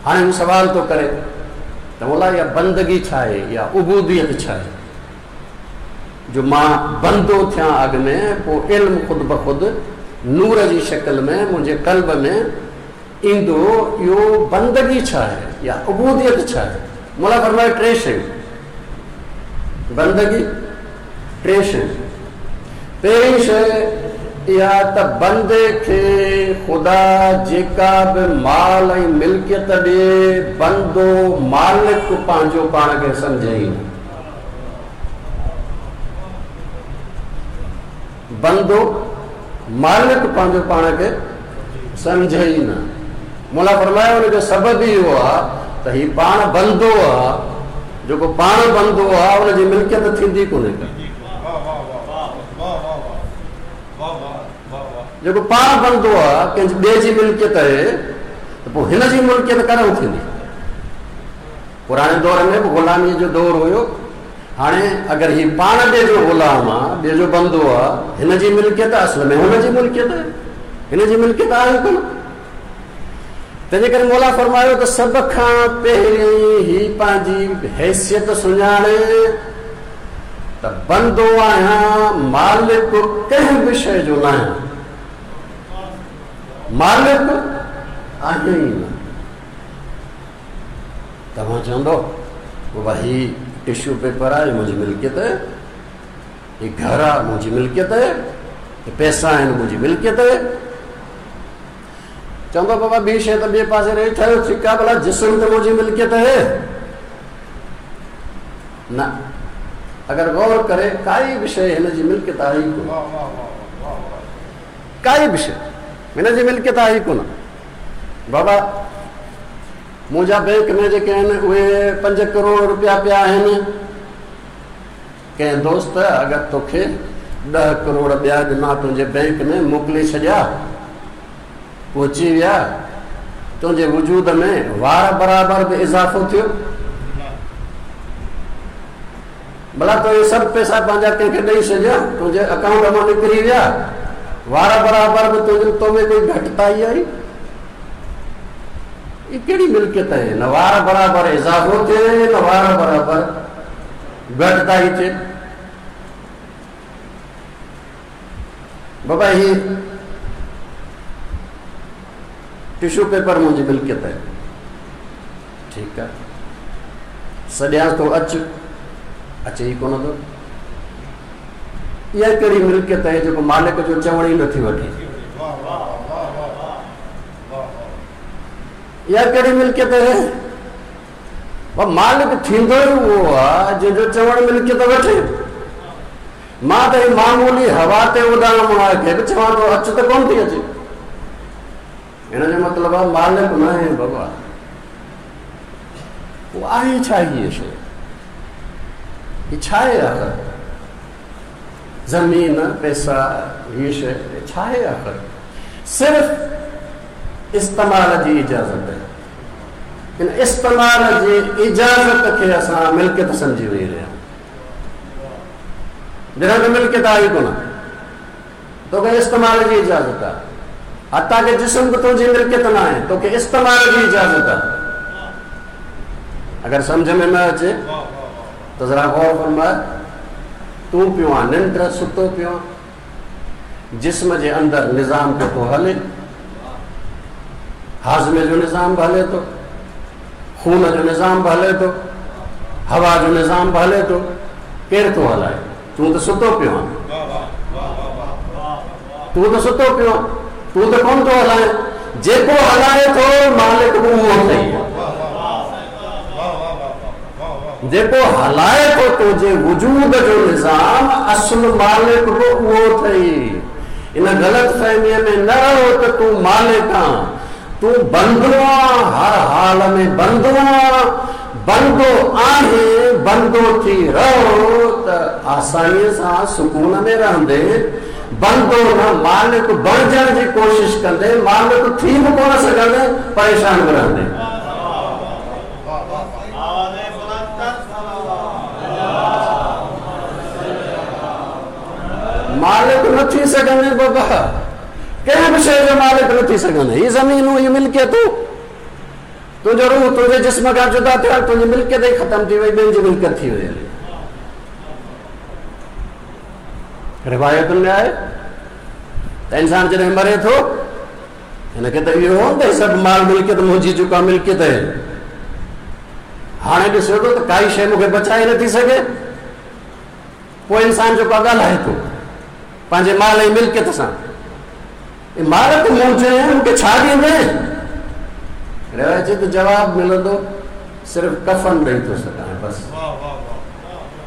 هاڻي هو سوال ٿو ڪري ته مولا اها بندگي ڇا آهي، اها عبوديت ڇا آهي جو مان بندو ٿيان اڳ ۾ پوء علم خود بخود نور جي شڪل ۾ منهنجي قلب ۾ ايندو، اهو بندگي ڇا آهي يا عبوديت ڇا آهي؟ مولا فرمايو ٽي شيون، بندگي ٽي شيون. پهرين شيء اها ته بندي کي خدا جيڪا به مال ۽ ملڪيت ڏئي، بندو مالڪ پنهنجو پاڻ کي سمجهي ئي نه. بندو مالڪ پنهنجو پاڻ کي سمجهي ئي نه. مولا فرمايو ان جو سبب ئي اهو آهي ته هي پاڻ بندو آهي، جيڪو پاڻ بندو آهي ان جي ملڪيت ٿيندي ڪونهي ڪا. جيڪو پاڻ بندو آهي ڪنهن ٻئي جي ملڪيت آهي ته پوء هن جي ملڪيت ڪڏهن ٿيندي؟ پراڻي دور ۾ به غلاميء جو دور هيو. هاڻي اگر هي پاڻ ٻئي جو غلام آ، ٻئي جو بندو آ، هن جي ملڪيت اصل ۾ هن جي ملڪيت آهي، هن جي ملڪيت آهي ڪونه. تنهنجي ڪري مولا فرمايو ته سڀ کان پهرين هي پنهنجي حيثيت سڃاڻي ته بندو آهيان، مالڪ ڪنهن به شيء جو ناهيان، مالڪ آهيان ئي نه. توهان چوندؤ بابا هي ٽشو پيپر آهي منهنجي ملڪيت آهي، هي گهر آهي منهنجي ملڪيت آهي، هي پئسا آهن منهنجي ملڪيت آهي. چوندو بابا ٻي شيء ته ٻئي پاسي رهي، ٺهيو ٺيڪ آهي ڀلا جسم ته منهنجي ملڪيت آهي نه. اگر غور ڪري ڪائي به شيء هن جي ملڪيت آهي ئي ڪونه، ڪائي به شيء هن جي ملڪيت آهي ئي ڪونه. بابا منهنجا بئنڪ ۾ جيڪي آهن اهي 5 ڪروڙ روپيا پيا آهن. ڪنهن دوست اگر توکي 10 ڪروڙ ٻيا ڏنا تنهنجي بئنڪ ۾ موڪلي ڇڏيا، پهچي ويا، تنهنجي وجود ۾ وار برابر به اضافو ٿيو؟ ڀلا تو اهي سڀ پئسا پنهنجا ڪنهن کي ڏئي ڇڏيا، تنهنجي اڪائونٽ مان نڪري ويا، وار برابر به تنهنجي تو ۾ ڪوئي گهٽتائي آئي؟ هي ڪهڙي ملڪيت آهي؟ نه وار برابر اضافو ٿئي نه وار برابر گهٽتائي ٿئي. بابا هي ٽشو پيپر منهنجي ملڪيت آهي. ٺيڪ آهي. سڏيانس ٿو اچ، اچي ئي ڪونه ٿو. اها ڪهڙي ملڪيت آهي جيڪو مالڪ جو چوڻ ئي نٿي وٺي. اها ڪهڙي ملڪيت آهي؟ مالڪ ٿيندو ئي اهو آهي جنهن جو چوڻ ملڪيت وٺي. مان ته هي معمولي هوا تي اڏامڻ واري کي به چوان ٿو اچ ته ڪونه ٿي اچي. هن جو مطلب آهي مالڪ نه آهي بابا. پوء آهي ڇا هيء شيء؟ هي ڇا آهي آخر؟ زمين، پئسا، هيء شيء ڇا آهي آخر؟ صرف استعمال جي اجازت آهي. ان استعمال جي اجازت کي اسان ملڪيت سمجهي ويهي رهيا آهيون. جڏهن ته ملڪيت آهي ئي ڪونه. توکي استعمال جي اجازت آهي. حتيٰ ڪه جسم به تنهنجي ملڪيت نه آهي، توکي استعمال جي اجازت آهي. اگر سمجهه ۾ نه اچي ته ذرا غور فرماء، تون پيو آن ننڊ، ستو پيو آن، جسم جي اندر نظام پيو ٿو هلي، هاضمي جو نظام به هلي ٿو، خون جو نظام به هلي ٿو، هوا جو نظام به هلي ٿو، ڪير ٿو هلائي؟ تون ته ستو پيو آن. تون ته ستو پيو آن. تون ته ڪونه ٿو هلائين. جيڪو هلائي ٿو مالڪ به اهو اٿئي. جيڪو هلائي ٿو تنهنجي وجود جو نظام اصل مالڪ به اهو اٿئي. ان غلط فهميء ۾ نه رهو ته تون مالڪ آن. تون بندو آن، هر حال ۾ بندو آن. بندو آهين، بندو ٿي رهو ته آسانيء سان سڪون ۾ رهندين، بندو نه مالڪ بڻجڻ جي ڪوشش ڪندين، مالڪ ٿي به ڪونه سگهندين، پريشان به رهندين. مالڪ نه ٿي سگهندين بابا، ڪنهن به شيء جو مالڪ نه ٿي سگهندين، هي زمينون، هي ملڪيتون. تنهنجو روح تنهنجي جسم کان جدا ٿيو ۽ تنهنجي ملڪيت ئي ختم ٿي وئي، ٻين جي ملڪيت ٿي وئي هلي. روايتن ۾ آهي ته انسان جڏهن مري ٿو هن کي ته اهو هو ته سڀ مال ملڪيت منهنجي جيڪا ملڪيت آهي، هاڻي ڏسيو ٿو ته ڪائي شيء مون کي بچائي نٿي سگهي. پوء انسان جيڪو ڳالهائي ٿو پنهنجي مال ۽ ملڪيت سان، اي مال ته منهنجو آهي، مون کي ڇا ڏيندين؟ روايت چئي ته جواب ملندو صرف ڪفن ڏئي ٿو سگهان بس،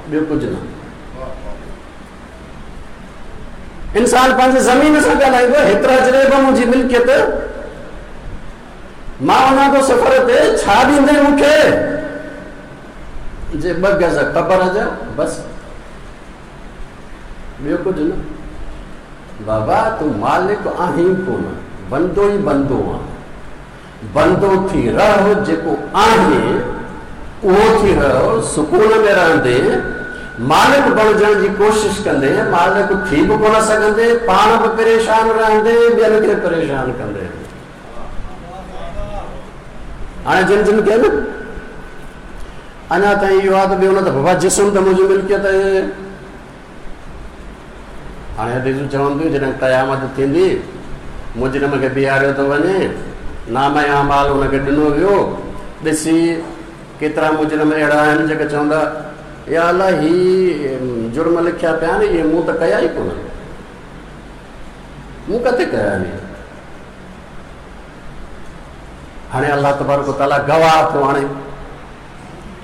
ٻيو ڪجهه نه. انسان پنهنجي زمين سان ڳالهائيندو، هيترا جريب منهنجي ملڪيت، مان وڃان ٿو سفر تي، ڇا ڏيندين مون کي؟ جي ٻه گز قبر جا بس، ٻيو ڪجهه نه. بابا تون مالڪ آهين ڪونه، بندو ئي بندو آهين. بندو ٿي رهه، جيڪو آهين اهو ٿي رهه، سڪون ۾ رهندين، مالڪ بڻجڻ جي ڪوشش ڪندين، مالڪ ٿي به ڪونه سگهندين، پاڻ به پريشان رهندين، ٻين کي پريشان ڪندين. هاڻي جن جن کي نه اڃا تائين اهو آهي ته ٻيو نه ته بابا جسم ته منهنجي ملڪيت آهي. هاڻي حديثون چون ٿيون جڏهن قيامت ٿيندي مجرم کي بيهاريو ٿو وڃي، نامه اعمال ان کي ڏنو ويو، ڏسي ڪيترا مجرم اهڙا آهن جيڪي چوندا يا الله هي جرم لکيا پيا آهن اهي مون ته ڪيا ئي ڪونه، مون ڪٿي ڪيا آهن. هاڻي الله تبارڪ وتعاليٰ گواهه ٿو آڻي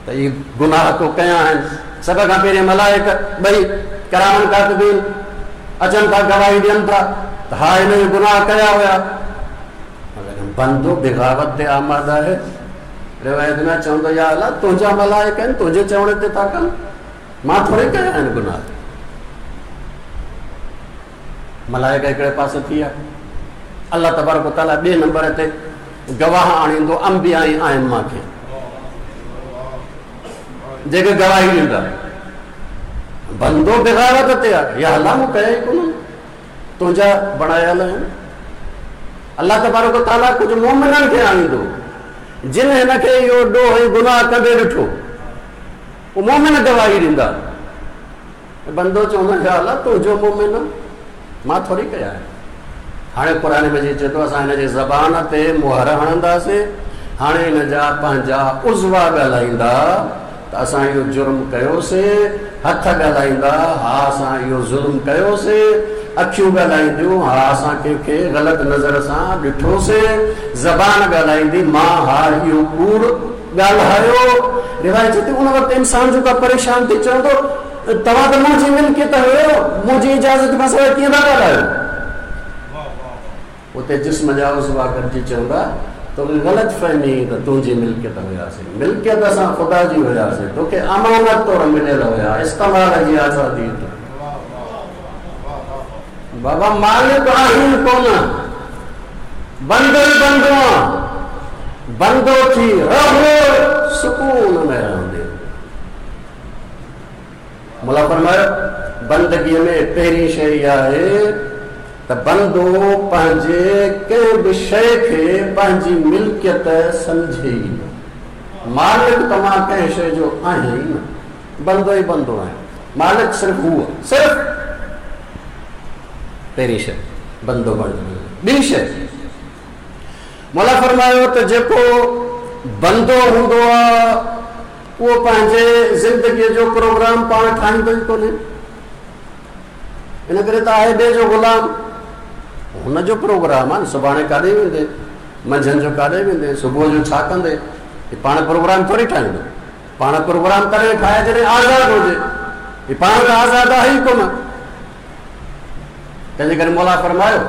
ته اهي گناهه تو ڪيا آهن. سڀ کان پهرين ملائڪ ٻئي ڪرامن ڪاتبين اچن ٿا، گواهي ڏين ٿا ته ها هن اهي گناهه ڪيا هيا. بندو بغاوت تي آماده آهي. روايت ۾ چوندو يا الله تنهنجا ملائڪ آهن، تنهنجي چوڻ تي ٿا ڪن، مان ٿوري ڪيا آهن گناهه. ملائڪ هڪڙي پاسي ٿي ويا. الله تبارڪ وتعاليٰ ٻئي نمبر تي گواهه آڻيندو انبياء ۽ ائمه کي، جيڪي گواهي ڏيندا. بندو بغاوت تي آهي، يا الله مون ڪيا ئي ڪونه، تنهنجا بڻايل آهن. الله تبارڪ وتعاليٰ ڪجهه مومنن کي آڻيندو جن هن کي اهو ڏوهه ۽ گناهه ڪندي ڏٺو، اهي مومن گواهي ڏيندا. بندو چوندو يا الله تنهنجو مومن مان ٿوري ڪيا آهن. هاڻي قرآن مجيد چئي ٿو اسان هن جي زبان تي مهر هڻنداسين، هاڻي هن جا پنهنجا عضوا ڳالهائيندا ته اسان اهو جرم ڪيوسين، هٿ ڳالهائيندا ها اسان اهو ظلم ڪيوسين، اکيون ڳالهائينديون ها اسان ڪنهن کي غلط نظر سان ڏٺوسين، زبان ڳالهائيندي مان ها اهو ڪوڙ ڳالهايو. روايت چئي ٿي ان وقت انسان جيڪو آهي پريشان ٿي چوندو توهان ته منهنجي ملڪيت هيو، منهنجي اجازت کان سواء ڪيئن ٿا ڳالهايو؟ اتي جسم جا عضوا گڏجي چوندا، توکي غلط فهمي هئي ته تنهنجي ملڪيت هياسين. ملڪيت اسان خدا جي هياسين، توکي امانت طور مليل هيا، استعمال جي آزادي اٿئي. بابا مالڪ آهين ڪونه، بندو ئي بندو آن، بندو ٿي رهه سڪون ۾ رهندين. مولا فرمايو، بندگيء ۾ پهرين شيء اها آهي ته بندو پنهنجي ڪنهن به شيء کي پنهنجي ملڪيت سمجهي ئي نه. مالڪ ته مان ڪنهن شيء جو آهيان ئي نه، بندو ئي بندو آهيان، مالڪ صرف هو آهي، صرف پهرين شيء بندو بڻجڻ. ٻي شيء مولا فرمايو ته جيڪو بندو هوندو آهي اهو پنهنجي زندگيء جو پروگرام پاڻ ٺاهيندو ئي ڪونهي. ان ڪري ته آهي ٻئي جو غلام. هن جو پروگرام آهي نه، سڀاڻي ڪاڏي ويندي، منجهند جو ڪاڏي ويندي، صبح جو ڇا ڪندي، هي پاڻ پروگرام ٿوري ٺاهيندو. پاڻ پروگرام تڏهن ٺاهي جڏهن آزاد هجي. هي پاڻ ته آزاد آهي ئي ڪونه. تنهنجي ڪري مولا فرمايو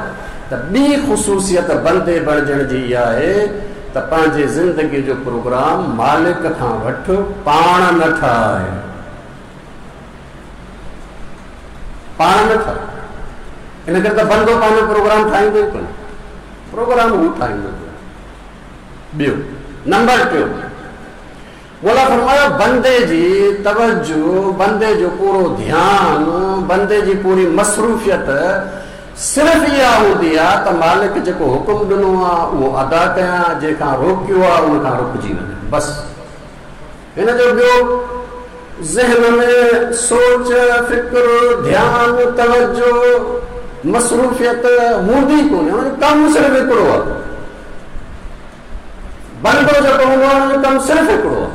ته ٻي خصوصيت بندي بڻجڻ جي اها آهي ته پنهنجي زندگي جو پروگرام مالڪ کان وٺ، پاڻ نه ٺاهه. پاڻ نه ٺاهه. ان ڪري ته بندو پنهنجو پروگرام ٺاهيندو ئي ڪونه، پروگرام هو ٺاهيندو. ٻيو نمبر ٽيون، مولا فرمايو، بندي جي توجه، بندي جو پورو ڌيان، بندي جي پوري مصروفيت صرف اها هوندي آهي ته مالڪ جيڪو حڪم ڏنو آهي اهو ادا ڪيان، جنهن کان روڪيو آهي ان کان رڪجي وڃان، بس. هن جو ٻيو ذهن ۾ سوچ، فڪر، ڌيان، توجه، مصروفيت هوندي ڪونهي، هن جو ڪم صرف هڪڙو آهي. بندو جيڪو هوندو آهي ان جو ڪم صرف هڪڙو آهي،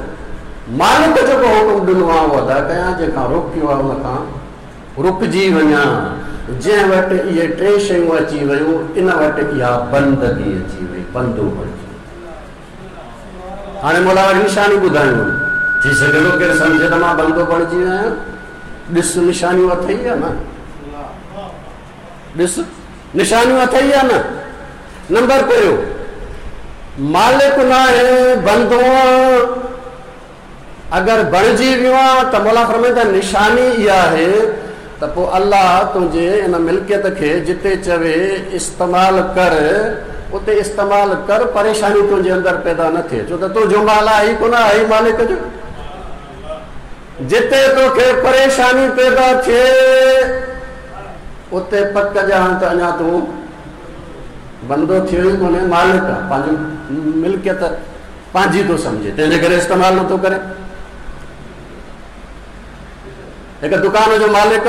مالڪ جيڪو حڪم ڏنو آهي اهو ادا ڪيان، جنهن کان روڪيو آهي ان کان رڪجي وڃان. جنهن وٽ اهي ٽي شيون اچي ويون ان وٽ اها بندگي اچي وئي، بندو بڻجي ويو. هاڻي مولا وري نشاني ٻڌايون، ٿي سگهي ٿو ڪير سمجهي ته مان بندو بڻجي ويو آهيان. ڏس نشانيون اٿئي يا نه؟ ڏس نشانيون اٿئي يا نه؟ نمبر پهريون، مالڪ ناهي بندو آن، اگر بڻجي ويو آن ته مولا فرمائي ته نشاني اها آهي ته پوء الله تنهنجي ان ملڪيت کي جتي چوي استعمال ڪر اتي استعمال ڪر، پريشاني تنهنجي اندر پيدا نه ٿئي، ڇو ته تنهنجو مال آهي ئي ڪونه، آهي ئي مالڪ جو. جتي توکي پريشاني پيدا ٿئي اتي پڪ ڄاڻ ته اڃا تون بندو ٿيو ئي ڪونهي، مالڪ آ، پنهنجي ملڪيت پنهنجي ٿو سمجهي، تنهن جي ڪري استعمال نٿو ڪري. هڪ دڪان جو مالڪ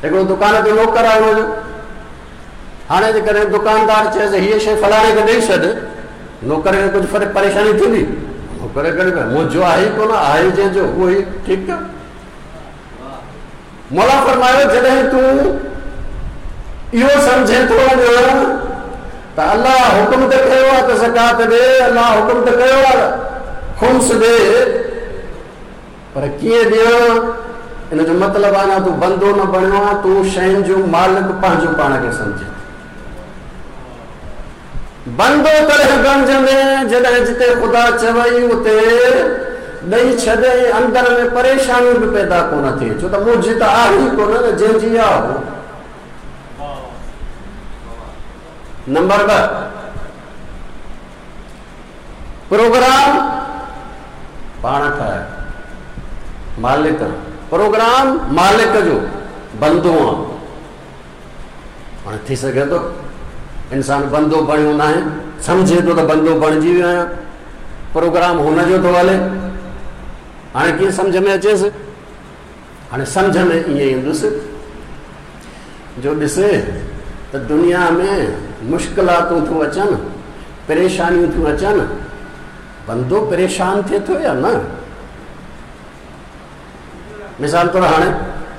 هڪڙو دڪان تي نوڪر آهي هن جو، هاڻي جيڪڏهن دڪاندار چئيس هيء شيء فلاڻي کي ڏئي ڇڏ، نوڪر کي ڪجهه فرق پريشاني ٿيندي؟ نوڪر کي ڪهڙي منهنجو آهي ئي ڪونه، آهي جنهن جو اهو ئي ٺيڪ ڪيو. مولا فرمايو جڏهن تون اهو سمجهين ٿو اڃا ته الله حڪم ته ڪيو آهي ته زڪوات ڏي، الله حڪم ته ڪيو آهي خمس ڏي، پر ڪيئن ڏيان؟ ان جو مطلب آهي اڃا تون بندو نه بڻيو آهين، تون شين جو مالڪ پنهنجو پاڻ کي سمجهين ٿو. بندو تڏهن بڻجندين جڏهن جتي خدا چوئي اتي ڏئي ڇڏ ۽ اندر ۾ پريشاني به پيدا ڪونه ٿئي، ڇو ته منهنجي ته آهي ئي ڪونه نه جنهن جي آهي. نمبر 2، پروگرام پاڻ ٺاهي، مالڪ آن، پروگرام مالڪ جو، بندو آن. هاڻي ٿي سگهي ٿو انسان بندو بڻيو ناهي، سمجهي ٿو ته بندو بڻجي ويو آهيان، پروگرام هن جو ٿو هلي. هاڻي ڪيئن سمجهه ۾ اچيس؟ هاڻي سمجهه ۾ ائين ايندس جو ڏسي ته دنيا ۾ مشڪلاتون ٿيون اچن، پريشانيون ٿيون اچن، بندو پريشان ٿئي ٿو يا نه؟ مثال طور هاڻي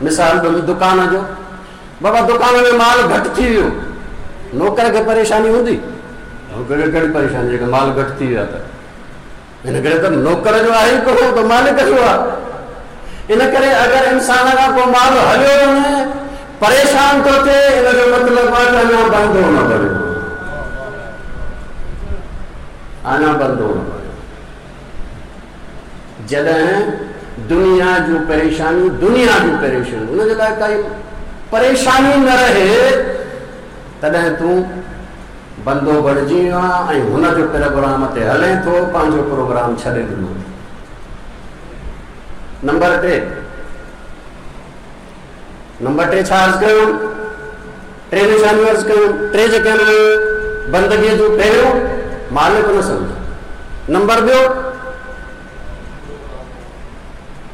مثال ڏنو دڪان جو، بابا دڪان ۾ مال گهٽ ٿي ويو، نوڪر کي پريشاني هوندي؟ نوڪر کي ڪهڙي پريشاني جيڪڏهن مال گهٽ ٿي ويو آهي ته؟ ان ڪري ته نوڪر جو آهي ئي ڪونه، ته مالڪ جو آهي. ان ڪري اگر انسان کان ڪو مال هليو وڃي، پريشان ٿو ٿئي، ان جو مطلب آهي ته اڃا بندو نه بڻيو، اڃا بندو نه بڻيو. جڏهن دنيا جون پريشانيون، دنيا جون پريشانيون، ان جي لاء ڪائي پريشاني نه رهي، تڏهن تون بندو بڻجي ويو آهين ۽ هن جو پروگرام تي هلين ٿو، پنهنجو پروگرام ڇڏي ڏنو اٿئي. نمبر ٽي، نمبر ٽي ڇا عرض ڪيو؟ ٽي نشانيون عرض ڪيون، ٽي جيڪي آهن بندگيء جون، پهريون مالڪ نه سمجهه، نمبر ٻيو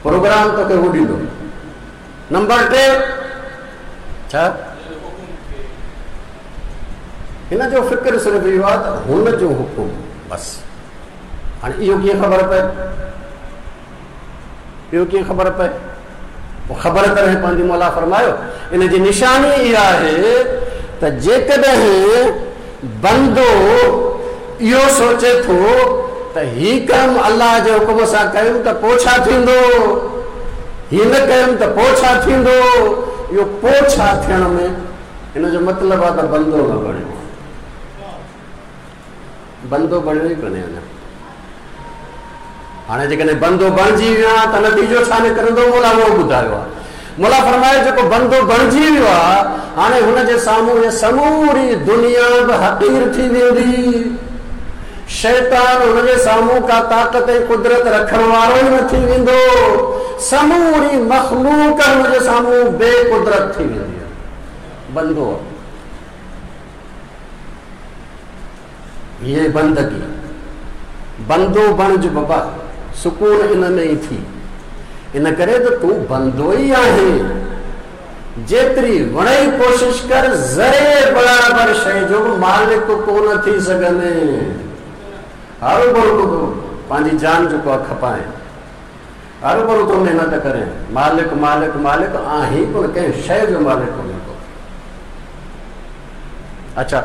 پروگرام توکي هو ڏيندو، نمبر ٽي ڇا؟ هن جو فڪر صرف اهو آهي ته هن جو حڪم بس. هاڻي اهو ڪيئن خبر پئي؟ اهو ڪيئن خبر پئي؟ پوء خبر تڏهن پوندي. مولا فرمايو ان جي نشاني اها آهي ته جيڪڏهن بندو اهو سوچي ٿو ته هي ڪم الله جي حڪم سان ڪيم ته پوء ڇا ٿيندو، هي نه ڪيم ته پوء ڇا ٿيندو، اهو پوء ڇا ٿيڻ ۾ هن جو مطلب آهي ته بندو نه بڻيو آهي، بندو بڻيو ئي ڪونهي اڃا. هاڻي جيڪڏهن بندو بڻجي ويو آهي ته نتيجو ڇا نڪرندو؟ مولا اهو ٻڌايو آهي. مولا فرمايو جيڪو بندو بڻجي ويو آهي هاڻي هن جي سامهون هيء سموري دنيا به حقير ٿي ويندي. شيطان هن جي سامهون ڪا طاقت ۽ قدرت رکڻ وارو ئي نه ٿي ويندو. سموري مخلوق هن جي سامهون بي قدرت ٿي ويندي. بندو آهي. هيء بندگي، بندو بڻج بابا، سڪون ان ۾ ئي ٿي. ان ڪري ته تون بندو ئي آهين. جيتري وڻئي ڪوشش ڪر، ذري برابر شيء جو به مالڪ ڪونه ٿي سگهندين. هروڀرو تون ٿو پنهنجي جان جيڪو آهي کپائين. هروڀرو ٿو محنت ڪرين. مالڪ مالڪ مالڪ آهين ڪونه، ڪنهن شيء جو مالڪ ڪونهين ڪو. اڇا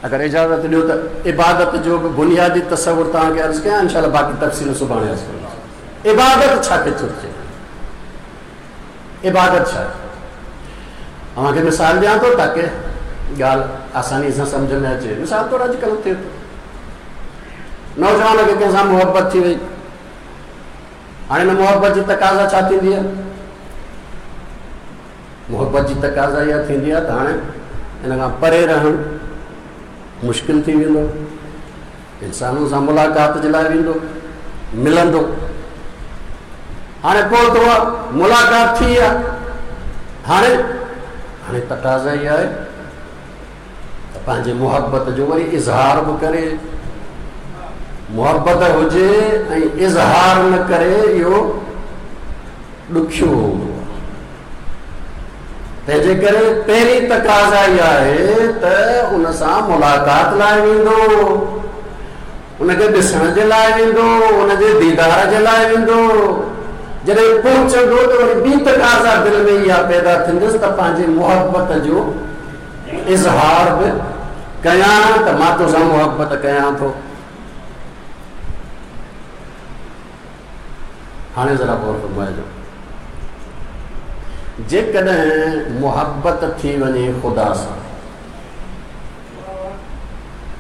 اگر اجازت ڏيو ته عبادت جو به بنيادي تصور توهان کي عرض ڪيان، انشاء الله باقي تفصيل سڀاڻي عرض ڪندس. عبادت ڇا کي چئجي؟ عبادت ڇا آهي؟ اوهان کي مثال ڏيان ٿو تاڪه ڳالهه آساني سان سمجه ۾ اچي. مثال طور اڄڪلهه ٿئي ٿو، نوجوان کي ڪنهن سان محبت ٿي وئي، هاڻي هن محبت جي تقاضا ڇا ٿيندي آهي؟ محبت جي تقاضا اها ٿيندي آهي ته هاڻي ان کان پري رهڻ مشڪل ٿي ويندو، انسانن سان ملاقات جي لاء ويندو، ملندو، هاڻي پهتو آهي، ملاقات ٿي آهي، هاڻي هاڻي تقاضا اها آهي ته پنهنجي محبت جو وري اظهار به ڪري، محبت هجي ۽ اظهار نه ڪري اهو ڏکيو هوندو آهي. تنهنجي ڪري پهرين تقاضا اها آهي ته ان سان ملاقات لاء ويندو، ان کي ڏسڻ جي لاء ويندو، ان جي ديدار جي لاء ويندو. جڏهن پهچندو ته وري ٻي تقاضا دل ۾ اها پيدا ٿيندس ته پنهنجي محبت جو اظهار به ڪيان ته مان توسان محبت ڪيان ٿو. هاڻي ذرا غور فرمائجو، جيڪڏهن محبت ٿي وڃي خدا سان،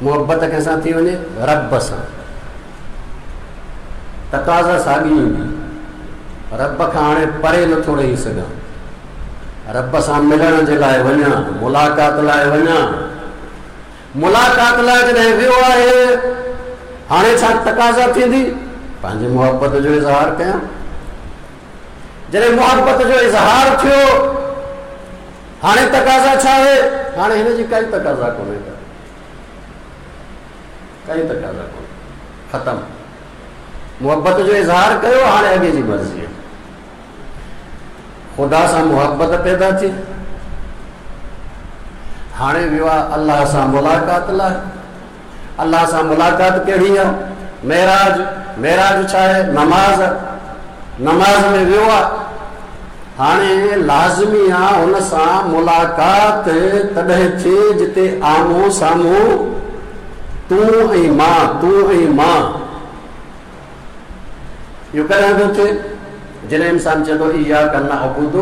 محبت ڪنهن سان ٿي وڃي؟ رب سان، تقاضا ساڳي ايندي، رب کان هاڻي پري نٿو رهي سگهان، رب سان ملڻ جي لاء وڃان، ملاقات لاء وڃان، ملاقات لاء جڏهن ويو آهي، هاڻي ڇا تقاضا ٿيندي؟ پنهنجي محبت جو اظهار ڪيان. جڏهن محبت جو اظهار ٿيو، هاڻي تقاضا ڇا آهي؟ هاڻي هن جي ڪائي تقاضا ڪونهي ڪا، ڪائي تقاضا ڪونهي، ختم. محبت جو اظهار ڪيو، هاڻي اڳي جي مرضي آهي. خدا سان محبت پيدا ٿي. هاڻي ويو آهي الله سان ملاقات لاء. الله سان ملاقات ڪهڙي آهي؟ معراج. معراج ڇا آهي؟ نماز. نماز ۾ ويو آهي. هاڻي لازمي آهي هن سان ملاقات تڏهن ٿئي جتي آمهون سامهون تون ۽ مان، تون ۽ مان. اهو ڪڏهن ٿو ٿئي؟ جڏهن انسان چئي ٿو اياڪ نعبد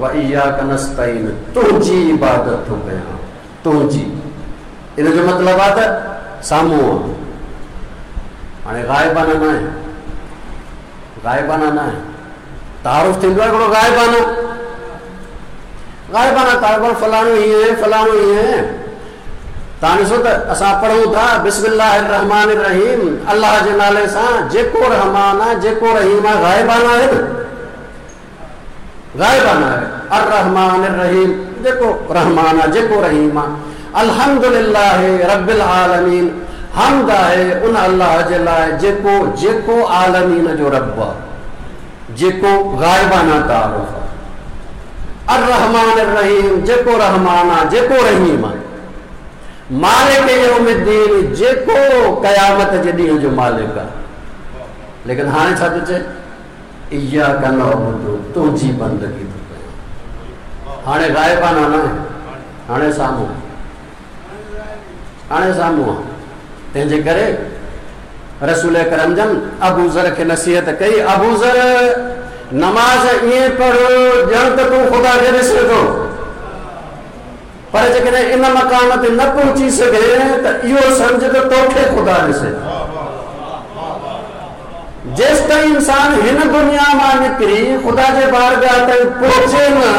و اياڪ نستعين، تنهنجي عبادت ٿو ڪيان، تنهنجي. ان جو مطلب آهي ته سامهون آهي. هاڻي غائبانه نه آهي، غائبانه نه آهي. تعارف ٿيندو آهي هڪڙو غائبانه، غائبانه تعارف، فلاڻو هيئن آهي، فلاڻو هيئن آهي. توهان ڏسو ته اسان پڙهون ٿا بسم الله الرحمٰن الرحيم، الله جي نالي سان جيڪو رحمان آهي جيڪو رحيم آهي، غائبانه آهي نه، غائبانه آهي. الرحمٰن الرحيم، جيڪو رحمان آهي جيڪو رحيم آهي. الحمد لله رب العالمين، حمد آهي ان الله جي لاء جيڪو جيڪو عالمين جو رب آهي، جيڪو غائبانه تعارف آهي. الرحمٰن الرحيم، جيڪو رحمان آهي جيڪو رحيم آهي. مالڪ يوم الدين، جيڪو قيامت جي ڏينهن جو مالڪ آهي. ليڪن هاڻي ڇا ٿو چئي؟ اياڪ نعبد، تنهنجي بندگي ٿو ڪيان. هاڻي غائبانه نه آهي، هاڻي سامهون، هاڻي سامهون آهي. تنهن جي ڪري رسول اڪرم جن ابوذر کي نصيحت ڪئي، ابوذر نماز ائين پڙهه ڄڻ ته تون خدا کي ڏسين ٿو، پر جيڪڏهن ان مقام تي نه پهچي سگهين ته اهو سمجهه ته توکي خدا ڏسي ٿو. جيستائين انسان هن دنيا مان نڪري خدا جي بارگاهه تائين پهچي نه،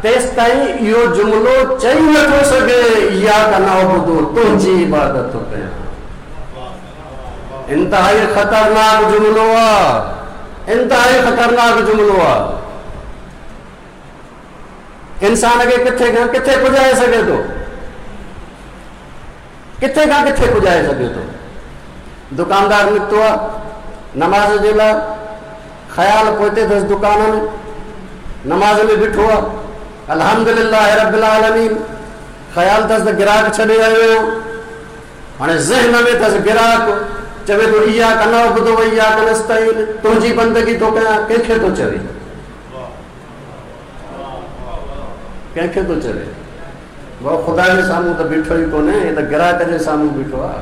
تيستائين اهو جملو چئي نه ٿو سگهي، اياڪ نعبد، تنهنجي عبادت ٿو ڪيان. انتهائي خطرناڪ جملو آ، انتهائي خطرناڪ جملو آ. انسان کي ڪٿي کان ڪٿي پڄائي سگهي ٿو، ڪٿي کان ڪٿي پڄائي سگهي ٿو. دڪاندار نڪتو آ نماز جي لاء، خيال پوئتي اٿس دڪان ۾، نماز ۾ بيٺو آ، الحمدلله رب العالمين، خيال اٿس ته گراهڪ ڇڏي آيو آهيان. هاڻي ذهن ۾ اٿس گراهڪ، چوي ٿو اياڪ نعبد و اياڪ نستعين، تنهنجي بندگي ٿو ڪيان، ڪنهن کي ٿو چوي؟ ڪنهن کي ٿو چوي؟ بابا خدا جي سامهون ته بيٺو ئي ڪونهي، هي ته گراهڪ جي سامهون بيٺو آهي.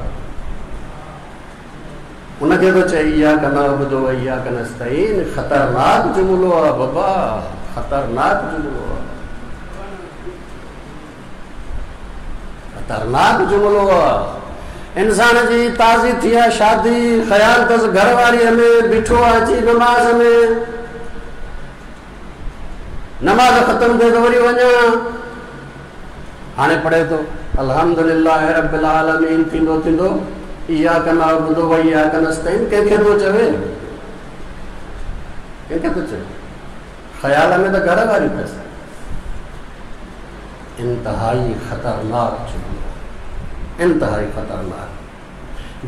ان کي ٿو چئي اياڪ نعبد و اياڪ نستعين. خطرناڪ جملو آهي بابا، خطرناڪ جملو آهي، خطرناڪ جملو آهي. انسان جي تازي ٿي آهي شادي، خيال اٿس گهر واريء ۾ بيٺو آهي اچي نماز ۾، نماز ختم ٿئي ته وري وڃان. هاڻي پڙهي ٿو الحمدلله رب العالمين، ٿيندو ٿيندو اياڪ نعبد و اياڪ نستعين. ڪنهن کي ٿو چوي؟ ڪنهن کي ٿو چوي؟ خيال ۾ ته گهر واري اٿس. انتهائي خطرناڪ جملو، انتهائي خطرناڪ.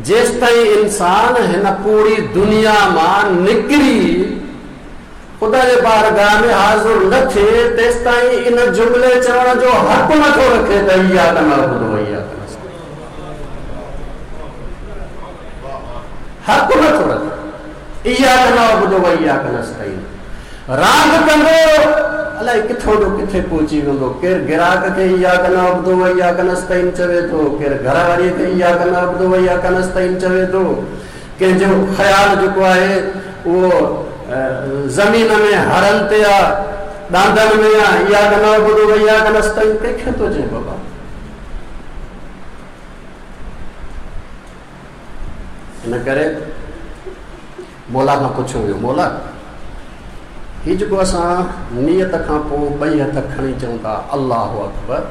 جيستائين انسان هن پوري دنيا مان نڪري خدا جي بارگاهه ۾ حاضر نه ٿئي، تيستائين ان جملي چوڻ جو حق نه ٿو رکي ته اياڪ نعبد و اياڪ نستعين. حق نه ٿو رکي. اياڪ نعبد و اياڪ نستعين. راند ڪندو الائي ڪٿو جو ڪٿي پهچي ويندو. ڪير گراهڪ کي اياڪ نعبد و اياڪ نستعين چوي ٿو، ڪير گهر واريء کي اياڪ نعبد و اياڪ نستعين چوي ٿو. ڪنهن جو خيال جيڪو آهي اهو زمين ۾ هرن تي آ، ڏاندن ۾ آ، اياڪ نعبد و اياڪ نستعين ڪنهن کي ٿو چئي بابا؟ ان ڪري مولا کان پڇيو ويو، مولا! هي جيڪو اسان نيت کان پوء ٻئي هٿ کڻي چئون ٿا الله اڪبر،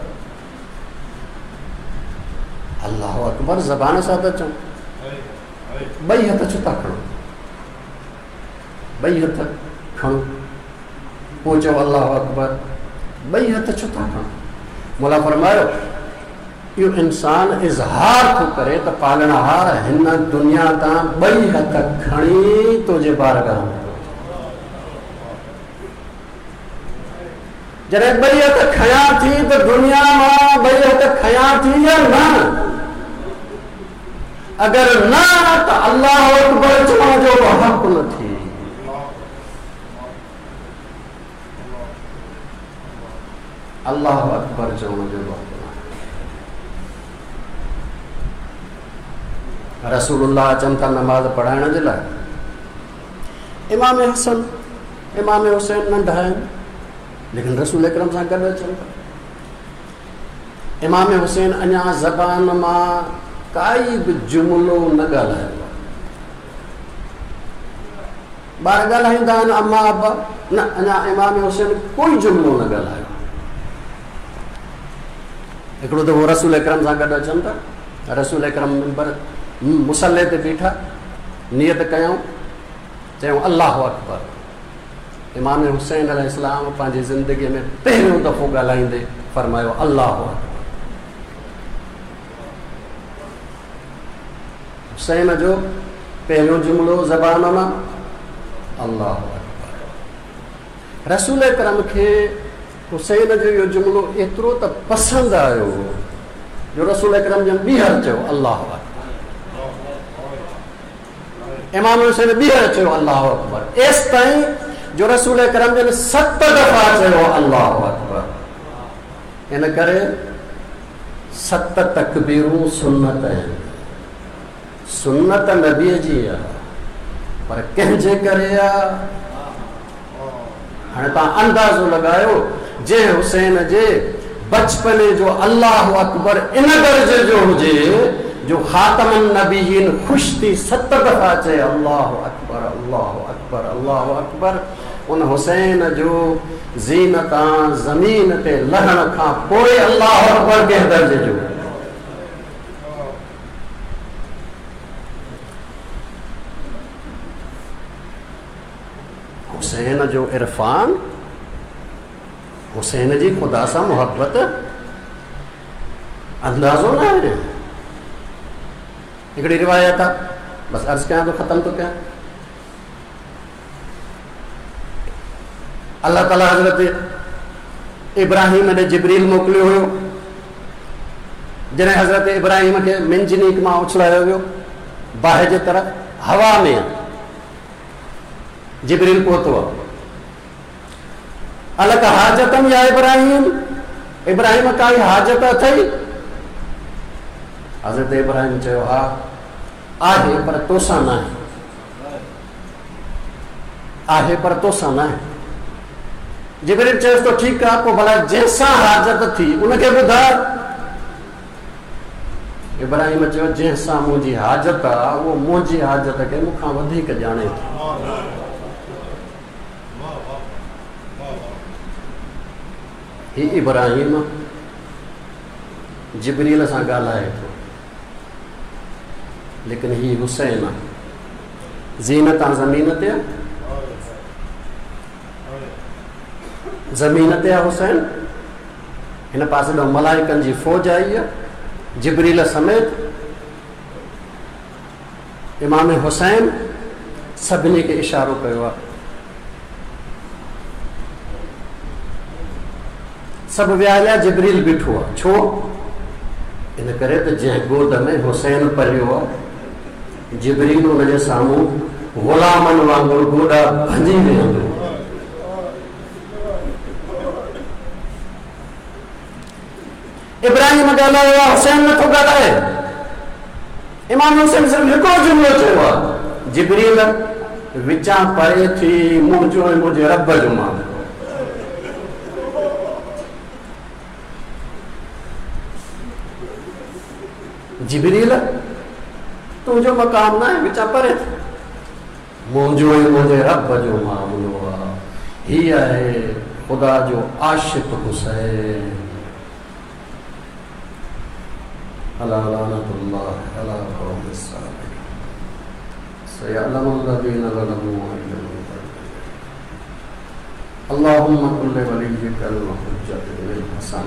الله اڪبر زبان سان ٿا چئون، ٻئي هٿ ڇو ٿا کڻو؟ ٻئي هٿ کڻو پوء چئو الله اڪبر، ٻئي هٿ ڇو ٿا کڻو؟ مولا فرمايو، اهو انسان اظهار ٿو ڪري ته پالڻهار هن دنيا تان ٻئي هٿ کڻي تنهنجي بارگاهه ۾ ٿو اچان. جڏهن ٻئي هٿ کنيا ٿي ته دنيا مان ٻئي هٿ کنيا ٿي يا نه؟ اگر نه ته الله اڪبر چوڻ جو به حق نه ٿي. الله اڪبر چوڻ جو به حق نه. رسول الله اچن ٿا نماز پڙهائڻ جي لاء. امام حسن امام حسين ننڍا آهن ليڪن رسول اڪرم سان گڏ اچن ٿا. امام حسين اڃا زبان مان ڪائي به جملو نه ڳالهايو آهي. ٻار ڳالهائيندا آهن اما ابا، نه اڃا امام حسين ڪوئي جملو نه ڳالهايو. هڪڙو دفعو رسول اڪرم سان گڏ اچن ٿا، رسول اڪرم منبر مصلي تي بيٺا، نيت ڪيائون، چيائون الله اڪبر. امام حسين عليه السلام پنهنجي زندگيء ۾ پهريون دفعو ڳالهائيندي فرمايو الله اڪبر. حسين جو پهريون جملو زبان مان الله اڪبر. رسول اڪرم کي حسين جو اهو جملو ايترو ته پسند آيو جو رسول اڪرم جن ٻيهر چيو الله اڪبر. امام حسين ٻيهر چيو الله اڪبر، ايستائين جو رسول اڪرم جن 7 دفعا چيو الله اڪبر. ان ڪري 7 تڪبيرون سنت آهن. سنت نبيء جي آهي، پر ڪنهن جي ڪري آهي؟ هاڻي توهان اندازو لڳايو، جنهن حسين جي بچپني جو الله اڪبر ان درجي جو هجي جو خاتم النبيين خوش ٿي 7 دفعا چئي الله اڪبر الله اڪبر الله اڪبر، ان حسين جو زين تان زمين تي لهڻ کان پوء الله اڪبر ڪنهن درجي جو؟ حسين جو عرفان، حسين جي خدا سان محبت اندازو نه آهي. هڪڙي روايت آهي، بس عرض ڪيان ٿو، ختم ٿو ڪيان. الله تعاليٰ حضرت ابراهيم ڏي جبريل موڪليو هيو. جڏهن حضرت ابراهيم کي منجنيق مان اڇلايو ويو باهه جي طرف، هوا ۾ جبريل پهتو. الڪ حاجتن يا ابراهيم، ابراهيم ڪائي حاجت اٿئي؟ حضرت ابراهيم چيو ها آهي، پر توسان ناهي. آهي پر توسان ناهي. جبريل چيس ٿو ٺيڪ آهي، پوء ڀلا جنهن سان حاجت ٿي ان کي ٻڌاء. ابراهيم چيو جنهن سان منهنجي حاجت آ اهو منهنجي حاجت کي مون کان وڌيڪ ڄاڻي ٿو. هي ابراهيم جبريل سان ڳالهائي ٿو، ليڪن هي حسين آ، زين تان زمين تي آ، زمين تي آ حسين. هن پاسي ڏانهن ملائڪن جي فوج آئي آ، جبريل سميت امام حسين سڀني کي اشارو ڪيو آ، سڀ ويا هليا، جبريل بيٺو آ. ڇو؟ ان ڪري ته جنهن گود ۾ حسين پليو آ، جبريل ان جي سامهون غلامن وانگر گوڏا ڀڃي ويهندو. ابراهيم ڳالهايو آ، حسين نٿو ڳالهائي. امام حسين صرف هڪڙو جملو چيو آ، جبريل وچان پري ٿي منهنجو ۽ منهنجي رب جو معاملو. جبريل تنهنجو مقام ناهي، وچان پري ٿي منهنجو ۽ منهنجي رب جو معاملو آ. هي آهي خدا جو عاشق حسين. الا لعنة الله علي القوم الظالمين سيعلم الذين ظلموا اي منقلب. اللهم كن لوليك الحجة بن الحسن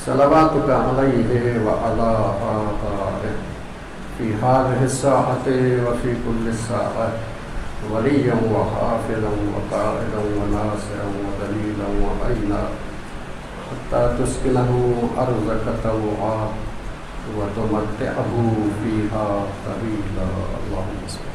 صلواتك عليه وعلى آبائه في هذه الساعة وفي كل ساعة وليا وحافظا وقائدا وناصرا ودليلا وعينا حتى تسكنه أرضك طوعا وتمتعه فيها طويلا. اللهم صل.